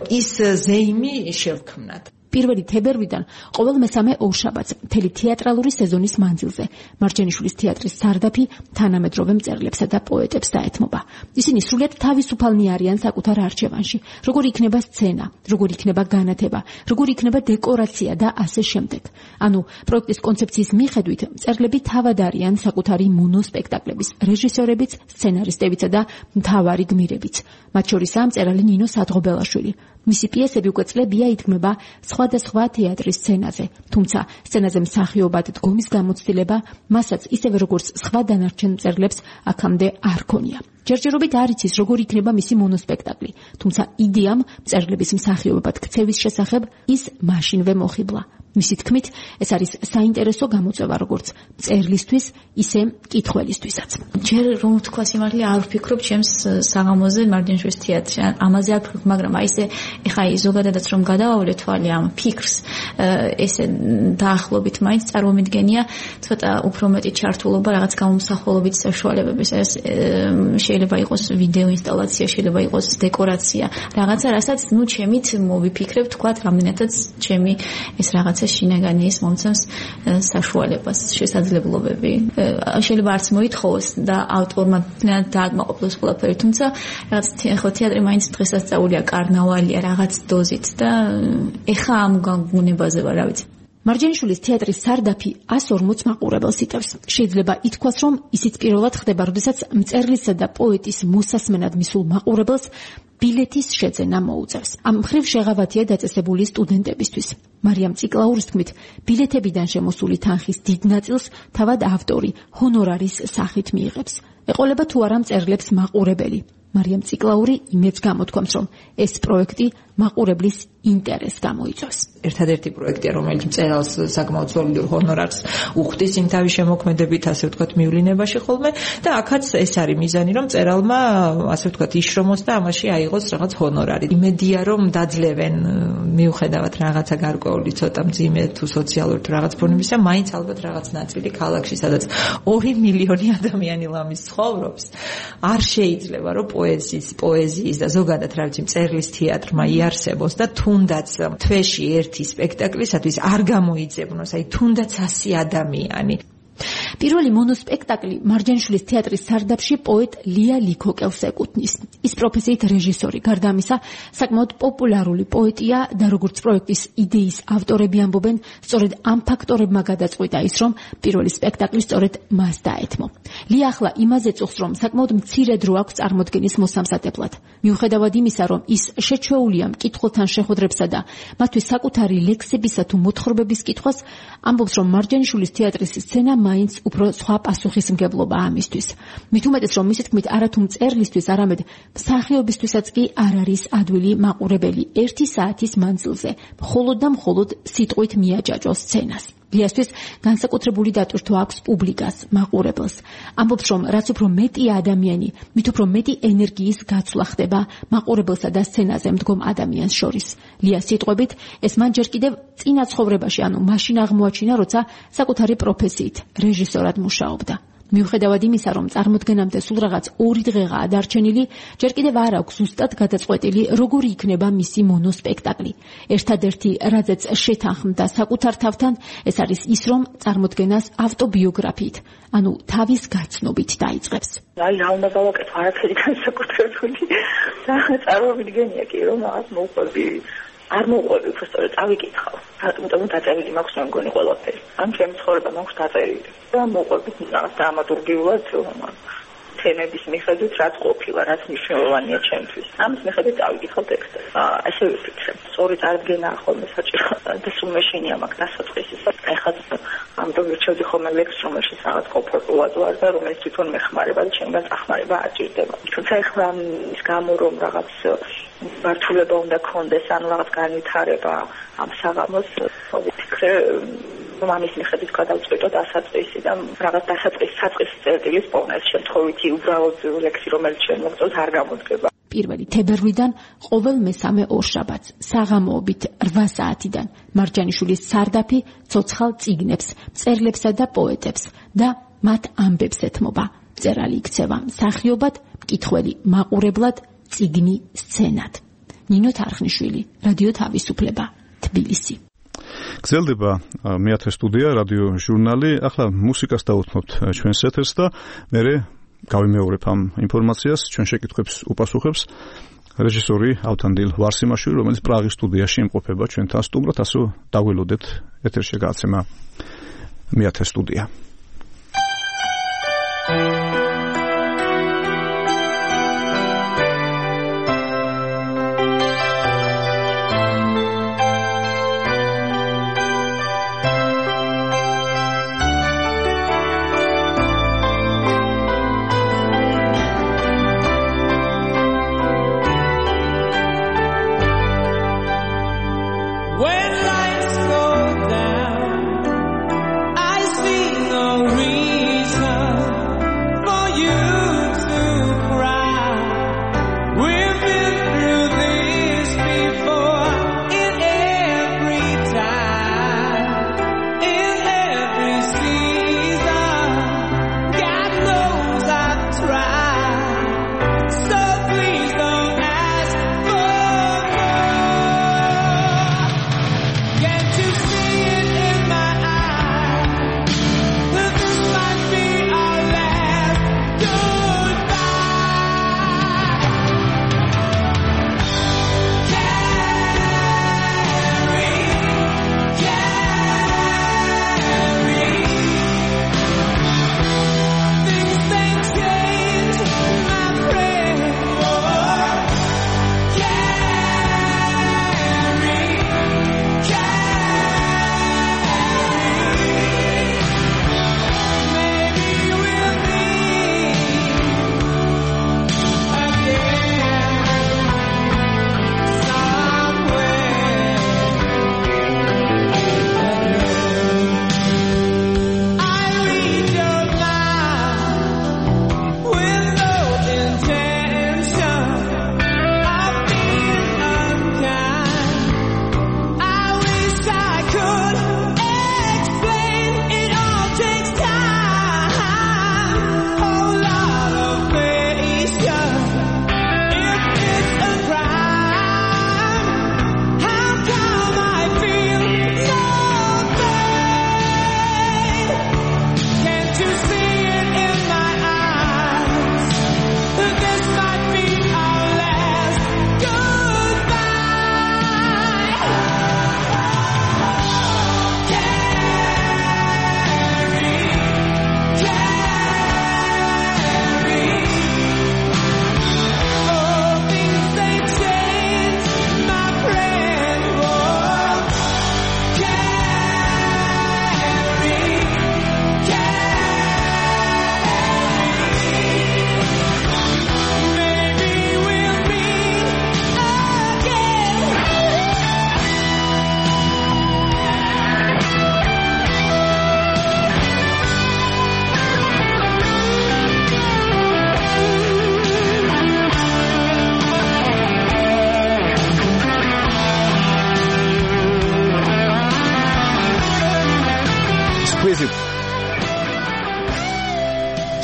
ის ზეიმი შევქმნათ. 1 თებერვლიდან ყოველ მესამე ორშაბათს მთელი თეატრალური სეზონის მანძილზე მარჯანიშვილის თეატრის სარდაფი თანამედროვე მწერლებსა და პოეტებს დაეთმობა. ისინი სრულიად თავისუფალნი არიან საკუთარ არჩევანში. როგორ იქნება სცენა, როგორ იქნება განათება, როგორ იქნება დეკორაცია და ასე შემდეგ. ანუ პროექტის კონცეფციის მიხედვით მწერლები თავად არიან საკუთარი მონოსპექტაკლების რეჟისორებიც, სცენარისტებიც და მთავარი გმირებიც. მათ შორისაა მწერალი ნინო სადღობელაშვილი. მისი პიესები უკვე წლებია ითქმება სხვადასხვა თეატრის სცენაზე, თუმცა სცენაზე მსახიობად დგომის გამოცდილება მასაც ისევე როგორც სხვა დანარჩენ მწერლებს აქამდე არ ქონია. ჯერჯერობით არ იცის როგორ იქნება მისი მონოსპექტაკლი, თუმცა იდეამ მწერლების მსახიობად ქცევის შესახებ ის მაშინვე მოხიბლა. მისი თქმით, ეს არის საინტერესო გამოწვევა როგორც მწერლისთვის, ისე მკითხველისთვისაც. ჯერ რომ თქვა სიმართლე არ ვფიქრობ ჩემს საღამოზე მარჯანიშვილის თეატრში. ამაზე არ ვფიქრობ, მაგრამ აი ესე ეხა ზოგადადაც რომ გადავავლე თვალი ამ ფიქრს, ესე დაახლოებით მაინც წარმომიდგენია ცოტა უფრო მეტი ჩართულობა რაღაც გამომსახველობით საშუალებების. ეს შეიძლება იყოს ვიდეო ინსტალაცია, შეიძლება იყოს დეკორაცია, რაღაცა, რასაც ნუ ჩემით მოვიფიქრებ, თქვათ, რამდენადაც ჩემი ეს რაღაცა შინაგანი ის მომცემს საშუალებას, შესაძლებლობები. შეიძლება არც მოითხოვოს და ავტორმა დააკმაყოფილოს ყველაფერი, თუმცა რაღაც ხო თეატრი მაინც დღესასწაულია, კარნავალია რაღაც დოზით და ეხა ამ გაგუნებაზე ვარ, რა ვიცი. მარჯანიშვილის თეატრის სარდაფი 140 მაყურებელს იტევს. შეიძლება ითქვას, რომ ისიც პირველად ხდება, როდესაც მწერლისა და პოეტის მოსასმენად მისულ მაყურებელს ბილეთის შეძენა მოუწევს. ამ მხრივ შეღავათია დაწესებული სტუდენტებისთვის. მარიამ ციკლაურის თქმით, ბილეთებიდან შემოსული თანხის დიდ ნაწილს თავად ავტორი ჰონორარის სახით მიიღებს. ეყოლება თუ არა მწერლებს მაყურებელი. მარიამ ციკლაური იმედს გამოთქვამს, რომ ეს პროექტი მაყურებლის ინტერესს გამოიწვევს. ერთადერთი პროექტია, რომელიც მწერალს საკმაოდ სოლიდურ ჰონორარს უხდის იმ თავის შემოქმედებით, ასე ვთქვათ, მივლინებაში ხოლმე და აქაც ეს არის მიზანი, რომ მწერალმა, ასე ვთქვათ, იშრომოს და ამაში აიღოს რაღაც ჰონორარი. იმედია, რომ დაძლევენ მიუხედავად რაღაცა გარკვეული ცოტა მძიმე თუ სოციალური თუ რაღაც ფორმებისა, მაინც ალბათ რაღაც ნაწილი ქალაქში, სადაც 2 მილიონი ადამიანი ლამის ცხოვრობს, არ შეიძლება, რომ პოეზიის და ზოგადად რა ვიცი, მწერლის თეატრმა იარსებოს და თუნდაც თვეში ერთი სპექტაკლისათვის არ გამოიძებნოს, აი თუნდაც 100 ადამიანი. პირველი მონოსპექტაკლი მარჯანიშვილის თეატრის სარდაფში პოეტ ლია ლიქოკელს ეკუთვნის. ის პროფესიით რეჟისორი, გარდა ამისა, საკმაოდ პოპულარული პოეტია და როგორც პროექტის იდეის ავტორები ამბობენ, სწორედ ამ ფაქტორებმა გადაწყვიტა ის, რომ პირველი სპექტაკლი სწორედ მას დაეთმო. ლია ახლა იმაზე წუხს, რომ საკმაოდ მცირე დრო აქვს წარმოდგენის მოსამზადებლად. მიუხედავად იმისა, რომ ის შეჩვეულია მკითხველთან შეხვედრებსა და მათთვის საკუთარი ლექსებისა თუ მოთხრობების კითხვას, ამბობს, რომ მარჯანიშვილის თეატრის სცენა მაინც უფრო სხვა პასუხისმგებლობა ამისთვის. მით უმეტეს, რომ მისი თქმით, არათუ მწერლისთვის, არამედ მსახიობისთვისაც კი არ არის ადვილი მაყურებელი 1 საათის მანძილზე, მხოლოდ და მხოლოდ სიტყვით მიაჯაჭვოს სცენას. ლიასთვის განსაკუთრებული დატვირთვა აქვს პუბლიკას, მაყურებელს. ამბობს, რომ რაც უფრო მეტი ადამიანი, მით უფრო მეტი ენერგიის გაცვლა ხდება მაყურებელსა და სცენაზე მდგომ ადამიანს შორის. ლიას სიტყვებით, ეს მან ჯერ კიდევ წინა ცხოვრებაში, ანუ მაშინ აღმოაჩინა, როცა საკუთარი პროფესიით, რეჟისორად მუშაობდა. მიუხედავად იმისა, რომ წარმოდგენამდე სულ რაღაც 2 დღეღაა დარჩენილი, ჯერ კიდევ არ აქვს ზუსტად გადაწყვეტილი, როგორი იქნება მისი მონოსპექტაკლი. ერთადერთი, რაზეც შეთანხმდა საკუთარ თავთან, ეს არის ის, რომ წარმოდგენას ავტობიოგრაფიით, ანუ თავის გაცნობით დაიწყებს. აი, რა უნდა გავაკეთო, არაფერი განსაკუთრებული. წარმოვიდგენია კი, რომ რაღაც მოუყვები. არ მოუყვები, უბრალოდ წავიკითხავ. რატომ დაწერილი მაქვს მე მგონი ყველაფერი. ამ ჩემი ცხოვრება მაქვს დაწერილი. და მოუყვები რაღაც დრამატურგიულად თემების მიხედვით, რაც ყოფილა, რაც მნიშვნელოვანია ჩემთვის. ამის მიხედვით წავიკითხავ ტექსტებს. ასე ვიფიქრე. სწორი წარდგენაა ხოლმე საჭირო. და სულ მეშინია მაგ დასაწყისი. ეხლა ამიტომ ვირჩევდი ხოლმე ლექს, რომელშიც რაღაც კომფორტულად ვარ და რომელიც თვითონ მეხმარება და ჩემგან წახმარება არ ჭირდება. თუმცა ეხლა ის გამო რომ რაღაც მართულება უნდა კონდეს, ანუ რაღაც განვითარება ამ საღამოს, ვიფიქრე ამის მიხედვით გადავწყვიტო დასაწყისი და რაღაც საწყის წერტილის პოვნა. ეს შემთხვევითი უბრალოდ ლექსი, რომელიც შენ მოგწონს, არ გამოდგება. 1 თებერვლიდან ყოველ მესამე ორშაბათს საღამოობით 8 საათიდან მარჯანიშვილის სარდაფი ცოცხალ წიგნებს, მწერლებსა და პოეტებს და მათ ამბებს ეთმობა. მწერალი იქცევა მსახიობად, მკითხველი მაყურებლად, წიგნი სცენად. ნინო თარხნიშვილი, რადიო თავისუფლება, თბილისი. გრძელდება მეათე სტუდია, რადიო ჟურნალი. ახლა მუსიკას დავუთმობთ ჩვენს ეთერს და მერე გავიმეორებ ამ ინფორმაციას, ჩვენ შეკითხვებს უპასუხებს რეჟისორი ავთანდილ ვარსიმაშვილი, რომელიც პრაღის სტუდიაში იმყოფება ჩვენთან სტუმრად, ასე დაგველოდეთ ეთერში გააცემა მეათე სტუდია. When lights go down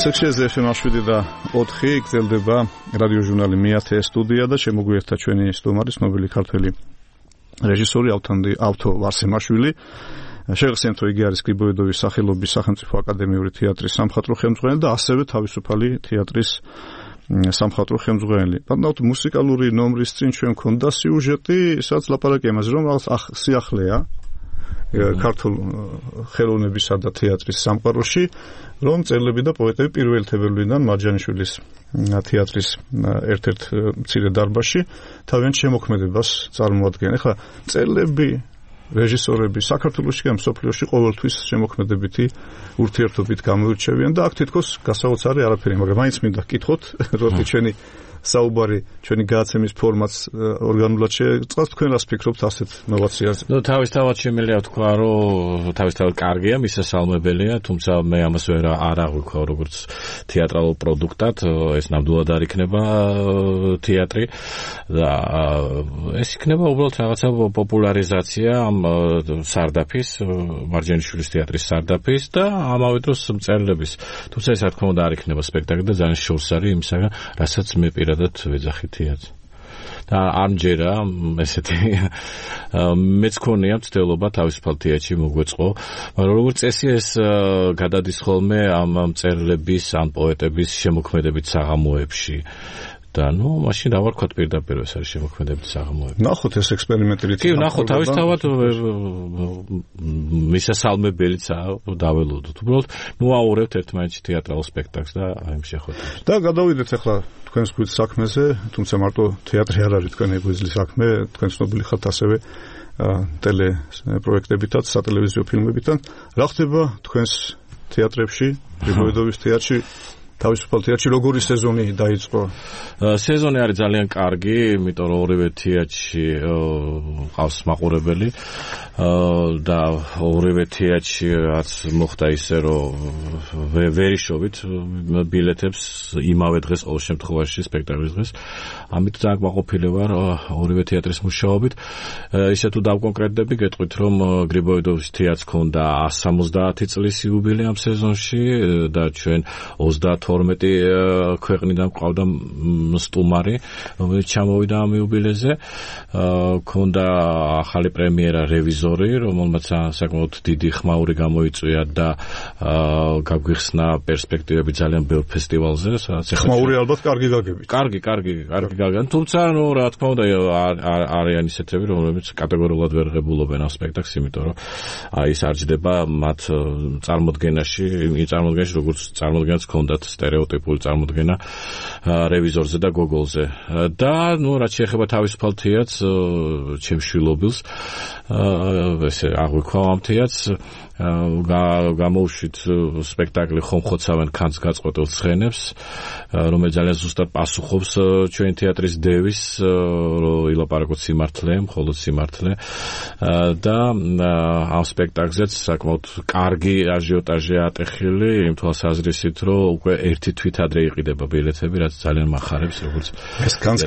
ასექშია ზეფემაშვილი და 4 გრძელდება რადიო ჟურნალი მე-10 სტუდია და შემოგვიერთდა ჩვენი სტუმარი ცნობილი ქართველი რეჟისორი ავთო ვარსემაშვილი. შეგახსენებთ, რომ იგი არის გრიბოედოვის სახელობის სახელმწიფო აკადემიური თეატრის სამხატვრო ხელმძღვანელი და ასევე თავისუფალი თეატრის სამხატვრო ხელმძღვანელი. ბატონო, მუსიკალური ნომრის წინ ჩვენ მქონდა სიუჟეტი, სადაც ლაპარაკია იმაზე, რომ სიახლეა ქართულ ხელოვნებისა და თეატრის სამყაროში, რომ მწერლები და პოეტები პირველი თებერვლიდან მარჯანიშვილის თეატრის ერთ-ერთ მცირე დარბაზში თავიანთ შემოქმედებას წარმოადგენენ. ეხლა მწერლები, რეჟისორები საქართველოში და მსოფლიოში ყოველთვის შემოქმედებითი ურთიერთობით გამოირჩევიან და აქ თითქოს გასაოცარი არაფერი, მაგრამ მაინც მინდა გკითხოთ, როდი ჩვენი საუბარი, ჩვენი გადაცემის ფორმატს ორგანულად შეწყავს, თქვენ რას ფიქრობთ ასეთ ნოვაციაზე? თავისთავად შემიძლია თქვა, რომ თავისთავად კარგია, მისასალმებელია, თუმცა მე ამას არ აღვიქვა როგორც თეატრალურ პროდუქტად, ეს ნამდვილად არ იქნება თეატრი და ეს იქნება უბრალოდ რაღაცა პოპულარიზაცია ამ სარდაფის, მარჯანიშვილის თეატრის სარდაფის და ამავე დროს მწერლების. თუმცა ეს რა თქმა უნდა არ იქნება სპექტაკლი და ძალიან შორს არის იმისაგან, რასაც მე პირადად ვეძახი თეატრს. და ამჯერა ესეთი მეც ქონია მცდელობა თავისუფალ თეატრში მოგვეწყო, მაგრამ როგორც წესი ეს გადადის ხოლმე ამ მწერლების, ამ პოეტების შემოქმედებით საღამოებში. და მაშინ რა ვარ პირდაპირ ეს არის შემოქმედებით საღამოები. ნახოთ ეს ექსპერიმენტი. კი, ნახოთ თავისთავად მისასალმებელიც დაველოდოთ. უბრალოდ აურევთ ერთმანეთში თეატრალურ სპექტაკლს და აი შეხვედრებს. და გადავიდეთ ახლა თქვენს გვერდ საქმეზე, თუმცა მარტო თეატრი არ არის თქვენი გვერდლის საქმე, თქვენ ცნობილი ხართ ასევე ტელე პროექტებითაც, სატელევიზიო ფილმებითაც. რა ხდება თქვენს თეატრებში, გრიბოედოვის თეატრში? თავისუფალ თეატრში როგორი სეზონი დაიწყო? სეზონი არის ძალიან კარგი, იმიტომ რომ ორივე თეატრში ყავს მაყურებელი და ორივე თეატრში რაც მოხდა ისე რომ ვერიშობით ბილეთებს იმავე დღეს ყოველ შემთხვევაში სპექტაკლის დღეს. ამით ძალიან მაყოფილი ვარ ორივე თეატრის მუშაობით. ისე თუ დავკონკრეტდები, გეტყვით რომ გრიბოედოვის თეატრს ჰქონდა 170 წლის იუბილე ამ სეზონში და ჩვენ 12 ქვეყნიდან ყავდა სტუმარი, რომელიც ჩამოვიდა ამ იუბილეზე. ჰქონდა ახალი პრემიერა რევიზორი, რომელმაც საკმაოდ დიდი ხმაური გამოიწვია და გაგვიხსნა პერსპექტივები ძალიან ბევრ ფესტივალზე, სადაც ხმაური ალბათ კარგი გაგებით. კარგი გაგან, თუმცა რა თქმა უნდა არიან ისეთები, რომლებიც კატეგორიულად ვერ ღებულობენ ამ სპექტაკლს, იმიტომ რომ ის არ ჯდება მათ წარმოდგენაში, როგორც წარმოდგენაც ჰქონდათ სტერეოტიპული წარმოდგენა რევიზორზე და გოგოლზე. და რაც შეეხება თავისუფალ თეატრს, ჩემს შვილობილს, ესე აღვიქვა ამ თეატრს, გამოუშვით სპექტაკლი ხომხოცავენ ქანს გაწყვეტილ ცხენებს, რომელიც ძალიან ზუსტად პასუხობს ჩვენი თეატრის დევის, რომ ილაპარაკოთ სიმართლე, მხოლოდ სიმართლე. და ამ სპექტაკლზეც საკმაოდ კარგი აჟიოტაჟია ატეხილი, იმ თვალსაზრისით, რომ უკვე ერთი თვით ადრე იყიდება ბილეთები, რაც ძალიან მახარებს, როგორც ეს ქანს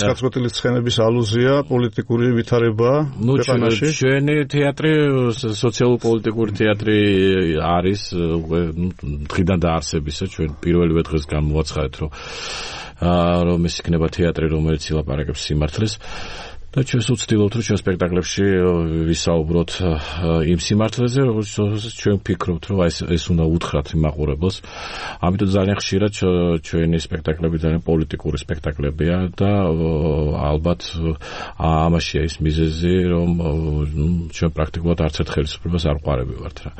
გაწყვეტილი ცხენების ალუზია პოლიტიკური ვითარებაა ქვეყანაში. ჩვენი თეატრი სოციალურ-პოლიტიკური თეატრი არის დღიდან დაარსებისა, ჩვენ პირველივე დღეს გამოვაცხადეთ, რომ ეს იქნება თეატრი, რომელიც ილაპარაკებს სიმართლეს. და ჩვენ ვცდილობთ, რომ ჩვენ სპექტაკლებში ვისაუბროთ იმ სიმართლეზე, როგორც ჩვენ ვფიქრობთ, რომ ეს უნდა უთხრათ მაყურებელს. ამიტომ ძალიან ხშირად ჩვენი სპექტაკლები ძალიან პოლიტიკური სპექტაკლებია და ალბათ ამაშია ის მიზეზი, რომ ჩვენ პრაქტიკულად არც ერთ ხელისუფლებას არ ვყარები ვართ რა.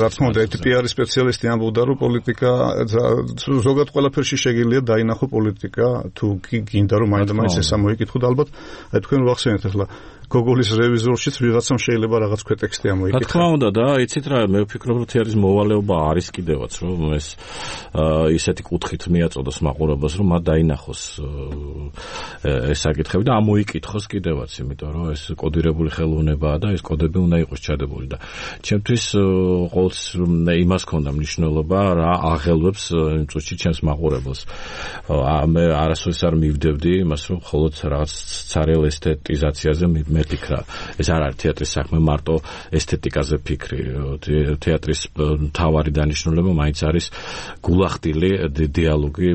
რა თქმა უნდა, პიარის სპეციალისტი ამბობდა, რომ პოლიტიკა ზოგადად ყველაფერში შეგიძლია დაინახო პოლიტიკა, თუ გინდა რომ მაინც ეს ამოიკითხოთ, ალბათ აი თქვენ ვახსენეთ ახლა გოგოლის რევიზორშიც ვიღაცამ შეიძლება რაღაც ქვეტექსტი ამოიკითხა. რა თქმა უნდა და იცით რა, მე ვფიქრობ, რომ თეატრის მოვალეობა არის კიდევაც, რომ ეს ისეთი კუთხით მიაწოდოს მაყურებელს, რომ მათ დაინახოს ეს საკითხები და ამოიკითხოს კიდევაც, იმიტომ რომ ეს კოდირებული ხელოვნებაა და ეს კოდები უნდა იყოს ჩადებული და ჩემთვის ყოველთვის იმას ჰქონდა მნიშვნელობა, რა აღელვებს იმ წუთში ჩემს მაყურებელს. მე არასოდეს არ მივდევდი იმას, რომ მხოლოდ რაღაც ცარიელ ესთეტიზაციაზე მე ფიქრა ეს არ არის თეატრის საქმე მარტო ესთეტიკაზე ფიქრი თეატრის მთავარი დანიშნულება მაინც არის გულახდილი დიალოგი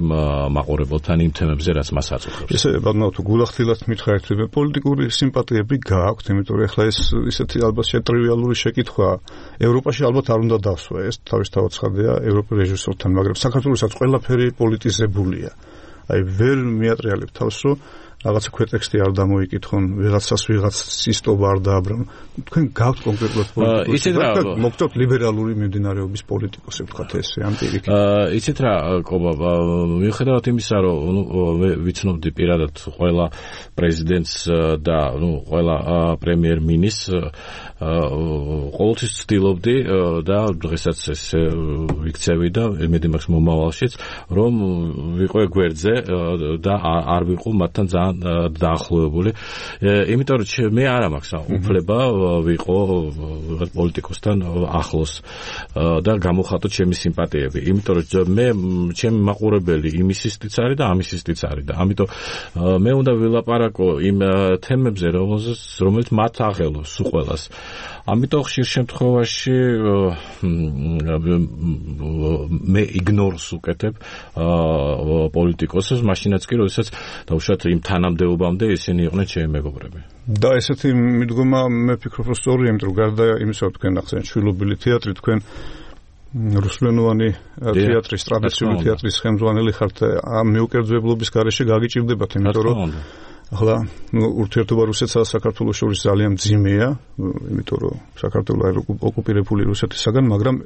მაყურებელთან იმ თემებზე რაც მას აწუხებს ესე ბატონო თუ გულახდილად მითხარით პოლიტიკური სიმპათიები გააქვთ იმიტომ რომ ახლა ეს ისეთი ალბათ შეტრივიალური შეკითხვაა ევროპაში ალბათ არ უნდა დასვა ეს თავისთავად ცხადია ევროპელ რეჟისორთან მაგრამ საქართველოსაც ყველაფერი პოლიტიზებულია აი ვერ მიატრიალებ თავს რომ რაღაცა ქვეტექსტი არ დამოიკითხონ ვიღაცას სისტობა არ დააბრუნონ თქვენ გაქვთ კონკრეტულად პოლიტიკოსი მოგწევთ ლიბერალური მიმდინარეობის პოლიტიკოსი ვთქვათ ესე ამ პირიქით იცით რა კობა მიუხედავად იმისა რომ ვიცნობდი პირადად ყველა პრეზიდენტს და ყველა პრემიერ-მინისტრს ყოველთვის ცდილობდი და დღესაც ეს ვიქცევი და იმედი მაქვს მომავალშიც რომ ვიყო გვერდზე და არ ვიყო მათთან ძალიან დაახლოებული იმიტომ რომ მე არ მაქვს უფლება ვიყო პოლიტიკოსთან ახლოს და გამოვხატო ჩემი სიმპათიები იმიტომ რომ მე ჩემი მაყურებელი იმისისთვის არის და ამისისთვის არის და ამიტომ მე უნდა ვილაპარაკო იმ თემებზე რომელიც მათ აღელოს უყველას ამიტომ ხშირ შემთხვევაში მე იგნორს უკეთებ პოლიტიკოსებს მაშინაც კი როდესაც დავუშვათ იმ თანამდებობამდე ისინი იყვნენ ჩემი მეგობრები და ესეთი მიდგომა მე ფიქრობ რომ სწორია იმიტომ რომ გარდა იმისა რომ თქვენ ახსენეთ შვილობილი თეატრი თქვენ რუსულენოვანი თეატრის ტრადიციული თეატრის ხელმძღვანელი ხართ ამ მიუკერძებლობის გარეშე გაგიჭირდებათ იმიტომ რომ ახლა ურთიერთობა რუსეთსა და საქართველოს შორის ძალიან მძიმეა იმიტომ რომ საქართველო ოკუპირებული რუსეთისაგან მაგრამ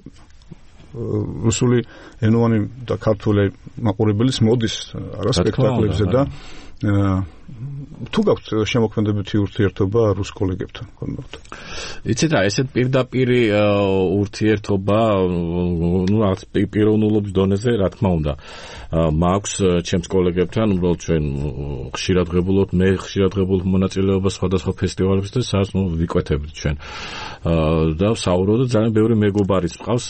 რუსული ენოვანი და ქართული მაყურებელიც მოდის არა სპექტაკლებზე და თუ გაქვთ შემოქმედებითი ურთიერთობა რუს კოლეგებთან ხომ? იცით რა, ესეთ პირდაპირ ურთიერთობა, რაღაც პიროვნულობის დონეზე, რა თქმა უნდა, მაქვს ჩემს კოლეგებთან, უბრალოდ ჩვენ ხშირად ღებულობთ, მე ხშირად ღებულობ მონაწილეობას სხვადასხვა ფესტივალებზე და სადაც ვიკვეთებთ ჩვენ. და საუბრობ და ძალიან ბევრი მეგობარიც მყავს,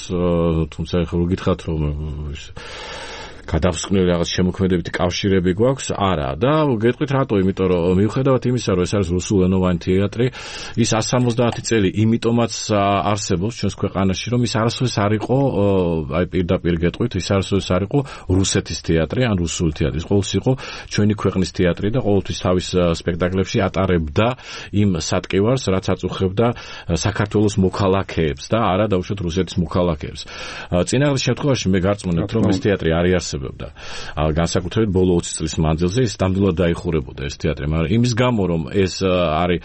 თუმცა ახლა რო გითხრათ რომ გადავსკვნელი რაღაც შემოქმედებითი კავშირები გვაქვს? არა. და გეტყვით რატო? იმიტომ რომ მიუხედავად იმისა, რომ ეს არის რუსულენოვანი თეატრი, ის 170 წელი იმიტომაც არსებობს ჩვენს ქვეყანაში, რომ ის არასოდეს არ იყო, აი პირდაპირ გეტყვით, ის არასოდეს არ იყო რუსეთის თეატრი, ან რუსული თეატრი. ყოველთვის იყო ჩვენი ქვეყნის თეატრი და ყოველთვის თავის სპექტაკლებში ატარებდა იმ სატკივარს, რაც აწუხებდა საქართველოს მოქალაქეებს და არა დაუშვათ რუსეთის მოქალაქეებს. წინააღმდეგ შემთხვევაში მე გარწმუნებთ, რომ ეს თეატრი არ არსებობდა. განსაკუთრებით ბოლო 20 წლის მანძილზე ის ნამდვილად დაიხურებოდა ეს თეატრი, მაგრამ იმის გამო რომ ეს არის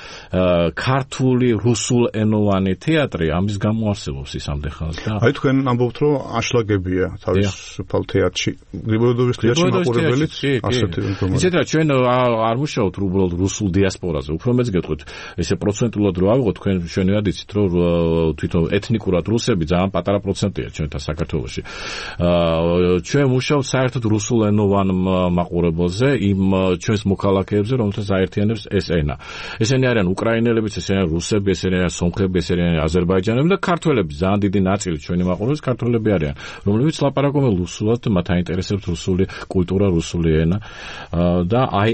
ქართული რუსულენოვანი თეატრი, ამის გამო არსებობს ის ამდენ და აი თქვენ ამბობთ რომ აშლაგებია თავისუფალ თეატრში. გრიბოედოვის თეატრში მაყურებელიც ასეთი ინფორმაცია. ისეთ რა ჩვენ არ მუშაობთ უბრალოდ რუსულ დიასპორაზე, უფრო მეც გეტყვით, ესე პროცენტულად რო ავიღოთ, თქვენ ჩვენად იცით რომ თვითონ ეთნიკურად რუსები ძალიან პატარა პროცენტია ჩვენთან საქართველოში. ჩვენ მუშაობთ საერთოდ რუსულენოვან მაყურებელზე, იმ ჩვენს მოქალაქეებზე, რომელთაც აერთიანებს ეს ენა. ესენი არიან უკრაინელებიც, ესენი არიან რუსები, ესენი არიან სომხები, ესენი არიან აზერბაიჯანელები და ქართველები, ძალიან დიდი ნაწილი ჩვენი მაყურებლის ქართველები არიან, რომლებიც ლაპარაკობენ რუსულად და მათ აინტერესებს რუსული კულტურა, რუსული ენა და აი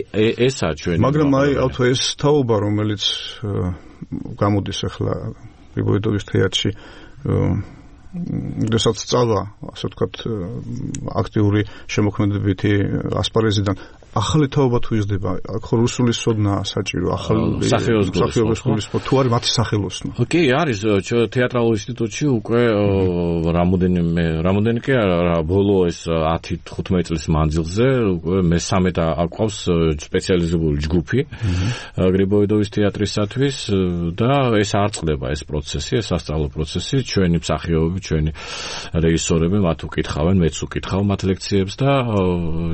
ესაა ჩვენი. მაგრამ აი ავთო ეს თაობა, რომელიც გამოდის ახლა გრიბოედოვის თეატრში როდესაც სწავლა, ასე ვთქვათ, აქტიური შემოქმედებითი ასპარეზიდან ახალი თაობა თუ იზრდება, აქ ხო რუსული სოდნაა საჭირო, ახალი სახეობის გულისხმობა თუ არის მათი სახელოსნო. კი, არის თეატრალურ ინსტიტუტში უკვე რამოდენი კი არა, ბოლო ეს 10-15 წლის მანძილზე უკვე მესამე და აყვავს სპეციალიზებული ჯგუფი გრიბოედოვის თეატრისათვის და ეს არ წყდება ეს პროცესი, ეს სასწავლო პროცესი, ჩვენი მსახიობები, ჩვენი რეჟისორები მათ უკითხავენ, მეც უკითხავ მათ ლექციებს და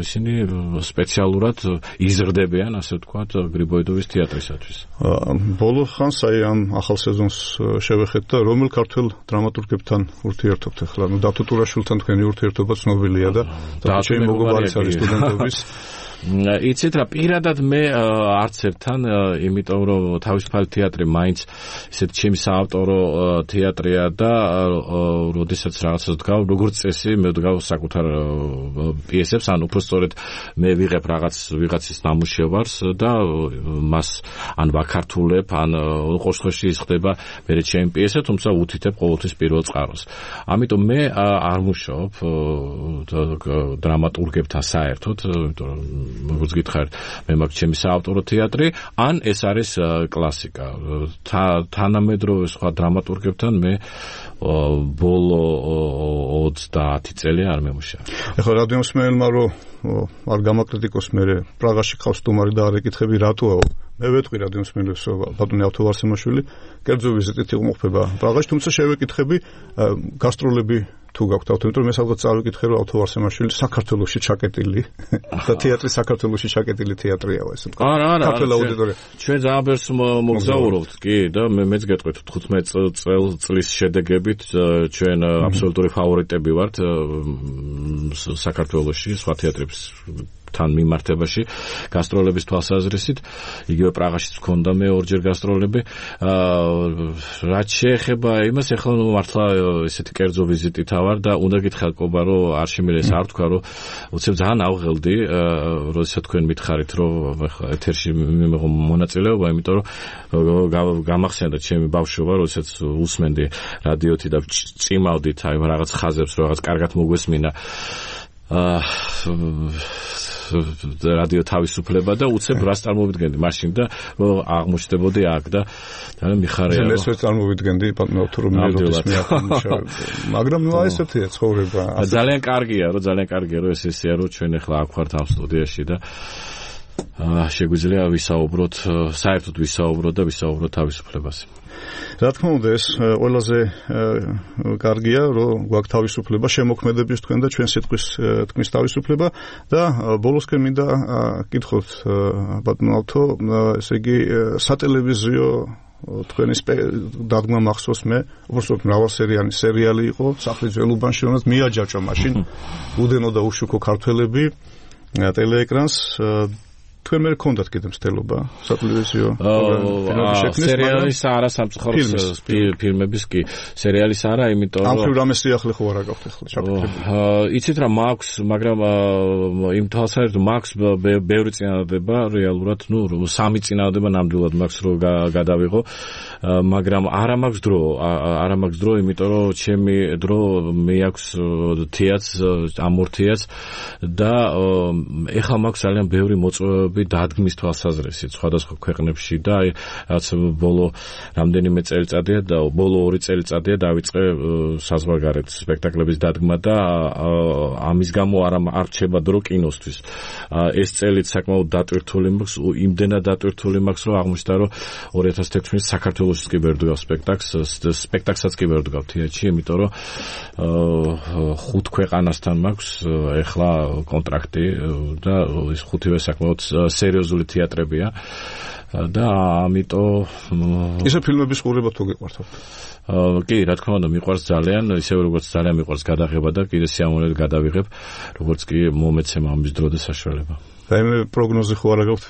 ისინი სპეციალურად იზრდებიან, ასე ვთქვათ, გრიბოედოვის თეატრისათვის. ბოლო ხანს აი ამ ახალ სეზონს შევეხეთ და რომელ ქართველ დრამატურგებთან ურთიერთობთ ახლა? დათო ტურაშვილთან თქვენი ურთიერთობა ცნობილია და ჩემი მეგობარიც არის სტუდენტობის. იცით რა, პირადად მე არც ერთთან, იმიტომ რომ თავისუფალი თეატრი მაინც ისეთ ჩემი საავტორო თეატრია და როდესაც რაღაცას ვდგავ, როგორც წესი მე ვდგავ საკუთარ პიესებს, ან უფრო სწორედ მე ვიღებ ვიღაცის ნამუშევარს და მას ან ვაქართულებ, ან ყოველ შემთხვევაში ის ხდება მე ჩემი პიესა, თუმცა უთითებ ყოველთვის პირველ წყაროს. ამიტომ მე არ მუშაობ დრამატურგებთან საერთოდ, იმიტომ რომ როგორც გითხარით, მე მაქვს ჩემი საავტორო თეატრი, ან ეს არის კლასიკა. თანამედროვე სხვა დრამატურგებთან მე ბოლო 30 წელი არ მემუშავე. ეხლა რადიომსმენელმა რომ არ გამაკრიტიკოს მე პრაღაში ხავს სტუმარი და არ ეკითხები რატოა მე ვეთქვი რადიომსმენელს ბატონი ავთოვარსემაშვილი კერძო ვიზიტით იმოხდება პრაღაში, თუმცა შევეკითხები გასტროლები თუ გაქვთ ავთო, იმიტომ რომ მე სადღაც წავიკითხე რომ ავთოვარსემაშვილი საქართველოში ჩაკეტილი და თეატრი საქართველოში ჩაკეტილი თეატრია ეს თქვა. არა, ჩვენ ძალიან ბევრს მოგზაურობთ კი და მეც გეტყვით 15 წლის შედეგებით ჩვენ აბსოლუტური ფავორიტები ვართ საქართველოში სხვა თეატრებს თან მიმართებაში გასტროლების თვალსაზრისით, იგივე პრაღაშიც მქონდა მე ორჯერ გასტროლები. რაც შეეხება იმას, ეხლა მართლა ესეთი კერძო ვიზიტით ავარ და უნდა გითხრათ ყობა რომ არ შემიძლია არ თქვა რომ უცებ ძალიან ავღელდი, როდესაც თქვენ მითხარით რომ ეთერში მიმეღო მონაწილეობა, იმიტომ რომ გამახსენდა ჩემი ბავშვობა, როდესაც უსმენდი რადიოთი და წიმავდით აი რაღაც ხაზებს, რაღაც კარგად მოგვესმინა რადიო თავისუფლება და უცებ რას წარმოვიდგენდი მაშინ და აღმოჩნდებოდი აქ და მიხარია რომ ეს წარმოვიდგენდი პატმევთ რომ მე როდის მე მაგრამ ნუ აი ესეთია ცხოვრება ძალიან კარგია რომ ეს ესეა რომ ჩვენ ახლა აქ ვართ ამ სტუდიაში და შეგვიძლია ვისაუბროთ საერთოდ ვისაუბროთ თავისუფლებაზე. რა თქმა უნდა ეს ყველაზე კარგია რომ გვაქვს თავისუფლება შემოქმედების თქვენ და ჩვენ სიტყვის თქმის თავისუფლება და ბოლოსკენ მინდა კითხოთ ბატონავთო ესე იგი სატელევიზიო თქვენი დადგმა მახსოვს მე უბრალოდ მრავალსერიანი სერიალი იყო სახლის ველუბანში რომელსაც მიაჯაჭვა მაშინ უდენო და უშუქო ქართველები ტელეეკრანს თქვენ მე გქონდათ კიდე მცდელობა სატელევიზიო სერიალის არა სამწუხაროდ ფილმების კი სერიალის არა იმიტომ ამ ხრივ რამე სიახლე ხო არ გაქვთ ახლა ჩაკეთებული იცით რა მაქვს მაგრამ იმ თვალსაზრისით მაქვს ბევრი წინადადება რეალურად ნუ 3 წინადადება ნამდვილად მაქვს რომ გადავიღო მაგრამ არა მაქვს დრო იმიტომ რომ ჩემი დრო მე აქვს თეატრს ამორთიას და ეხლა მაქვს ძალიან ბევრი მოწვევები დადგმის თვალსაზრისით სხვადასხვა ქვეყნებში და აი რაც ბოლო რამდენიმე წელიწადია და ბოლო 2 წელიწადია დავიწყე საზღვარგარეთ სპექტაკლების დადგმა და ამის გამო არ რჩება დრო კინოსთვის. ეს წელიც საკმაოდ დატვირთული მაქვს, იმდენად დატვირთული მაქვს, რომ აღმოჩნდა რომ 2016 საქართველოსიც კი ვერ ვდგავ სპექტაკლსაც კი ვერ ვდგავ თეატრში, იმიტომ რომ 5 ქვეყანასთან მაქვს ეხლა კონტრაქტი და ეს 5-ვე საკმაოდ სერიოზული თეატრებია და ამიტომ ისე ფილმების ყურება თუ გიყვართ? კი, რა თქმა უნდა, მიყვარს ძალიან, ისე როგორც ძალიან მიყვარს გადაღება და კიდე სიამოვნებით გადავიღებ, როგორც კი მომეცემა ამის დრო და საშუალება. და მე პროგნოზი ხო არ გაქვთ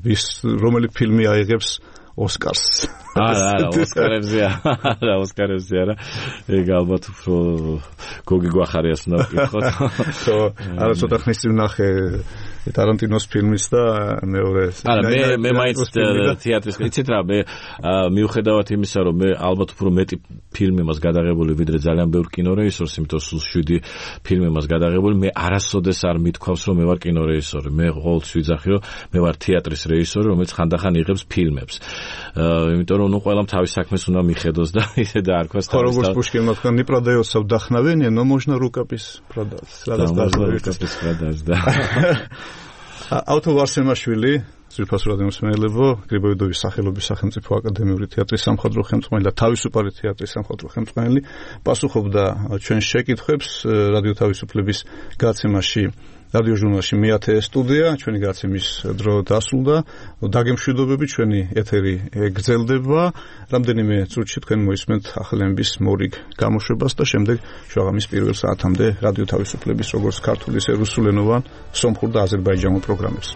ვის რომელი ფილმი აიღებს ოსკარს. არა, ოსკარებზე არა. ეგ ალბათ უფრო გოგი გვახარიას უნდა ვკითხოთ. ხო, არა ცოტა ხნის წინ ნახე ტარანტინოს ფილმის და მეორე მე მაინც თეატრის იცით რა მე მიუხედავად იმისა რომ მე ალბათ უფრო მეტი ფილმი მას გადაღებული ვიდრე ძალიან ბევრ კინორეჟისორს იმიტომ სულ 7 ფილმი მას გადაღებული მე არასოდეს არ მithქვავს რომ მე ვარ კინორეჟისორი მე ყოველთვის ვიძახი რომ მე ვარ თეატრის რეჟისორი რომელიც ხანდახან იღებს ფილმებს იმიტომ რომ ნუ ყველამ თავის საქმეს უნდა მიხედოს და ისე და არ ქვას ხო როგორც პუშკინმა თქვა не продается вдохновение но можно рукопись продать да ავთოვარსემაშვილი ძვირფას რადიომსმენელებო გრიბოიდოვის სახელობის სახელმწიფო აკადემიური თეატრის სამხატვრო ხელმძღვანელი და თავისუფალი თეატრის სამხატვრო ხელმძღვანელი პასუხობდა ჩვენ შეკითხვებს რადიო თავისუფლების გაცემაში რადიო ჟურნალში მე-10 სტუდია, ჩვენი გაცემის დრო დასრულდა. დაგემშვიდობები, ჩვენი ეთერი გრძელდება. რამდენიმე წუთში თქვენ მოისმენთ ახალების მორიგ გამოშვებას და შემდეგ შუაღამის პირველ საათამდე რადიო თავისუფლების როგორც ქართული, ისე რუსულენოვან, სომხურ და აზერბაიჯანულ პროგრამებს.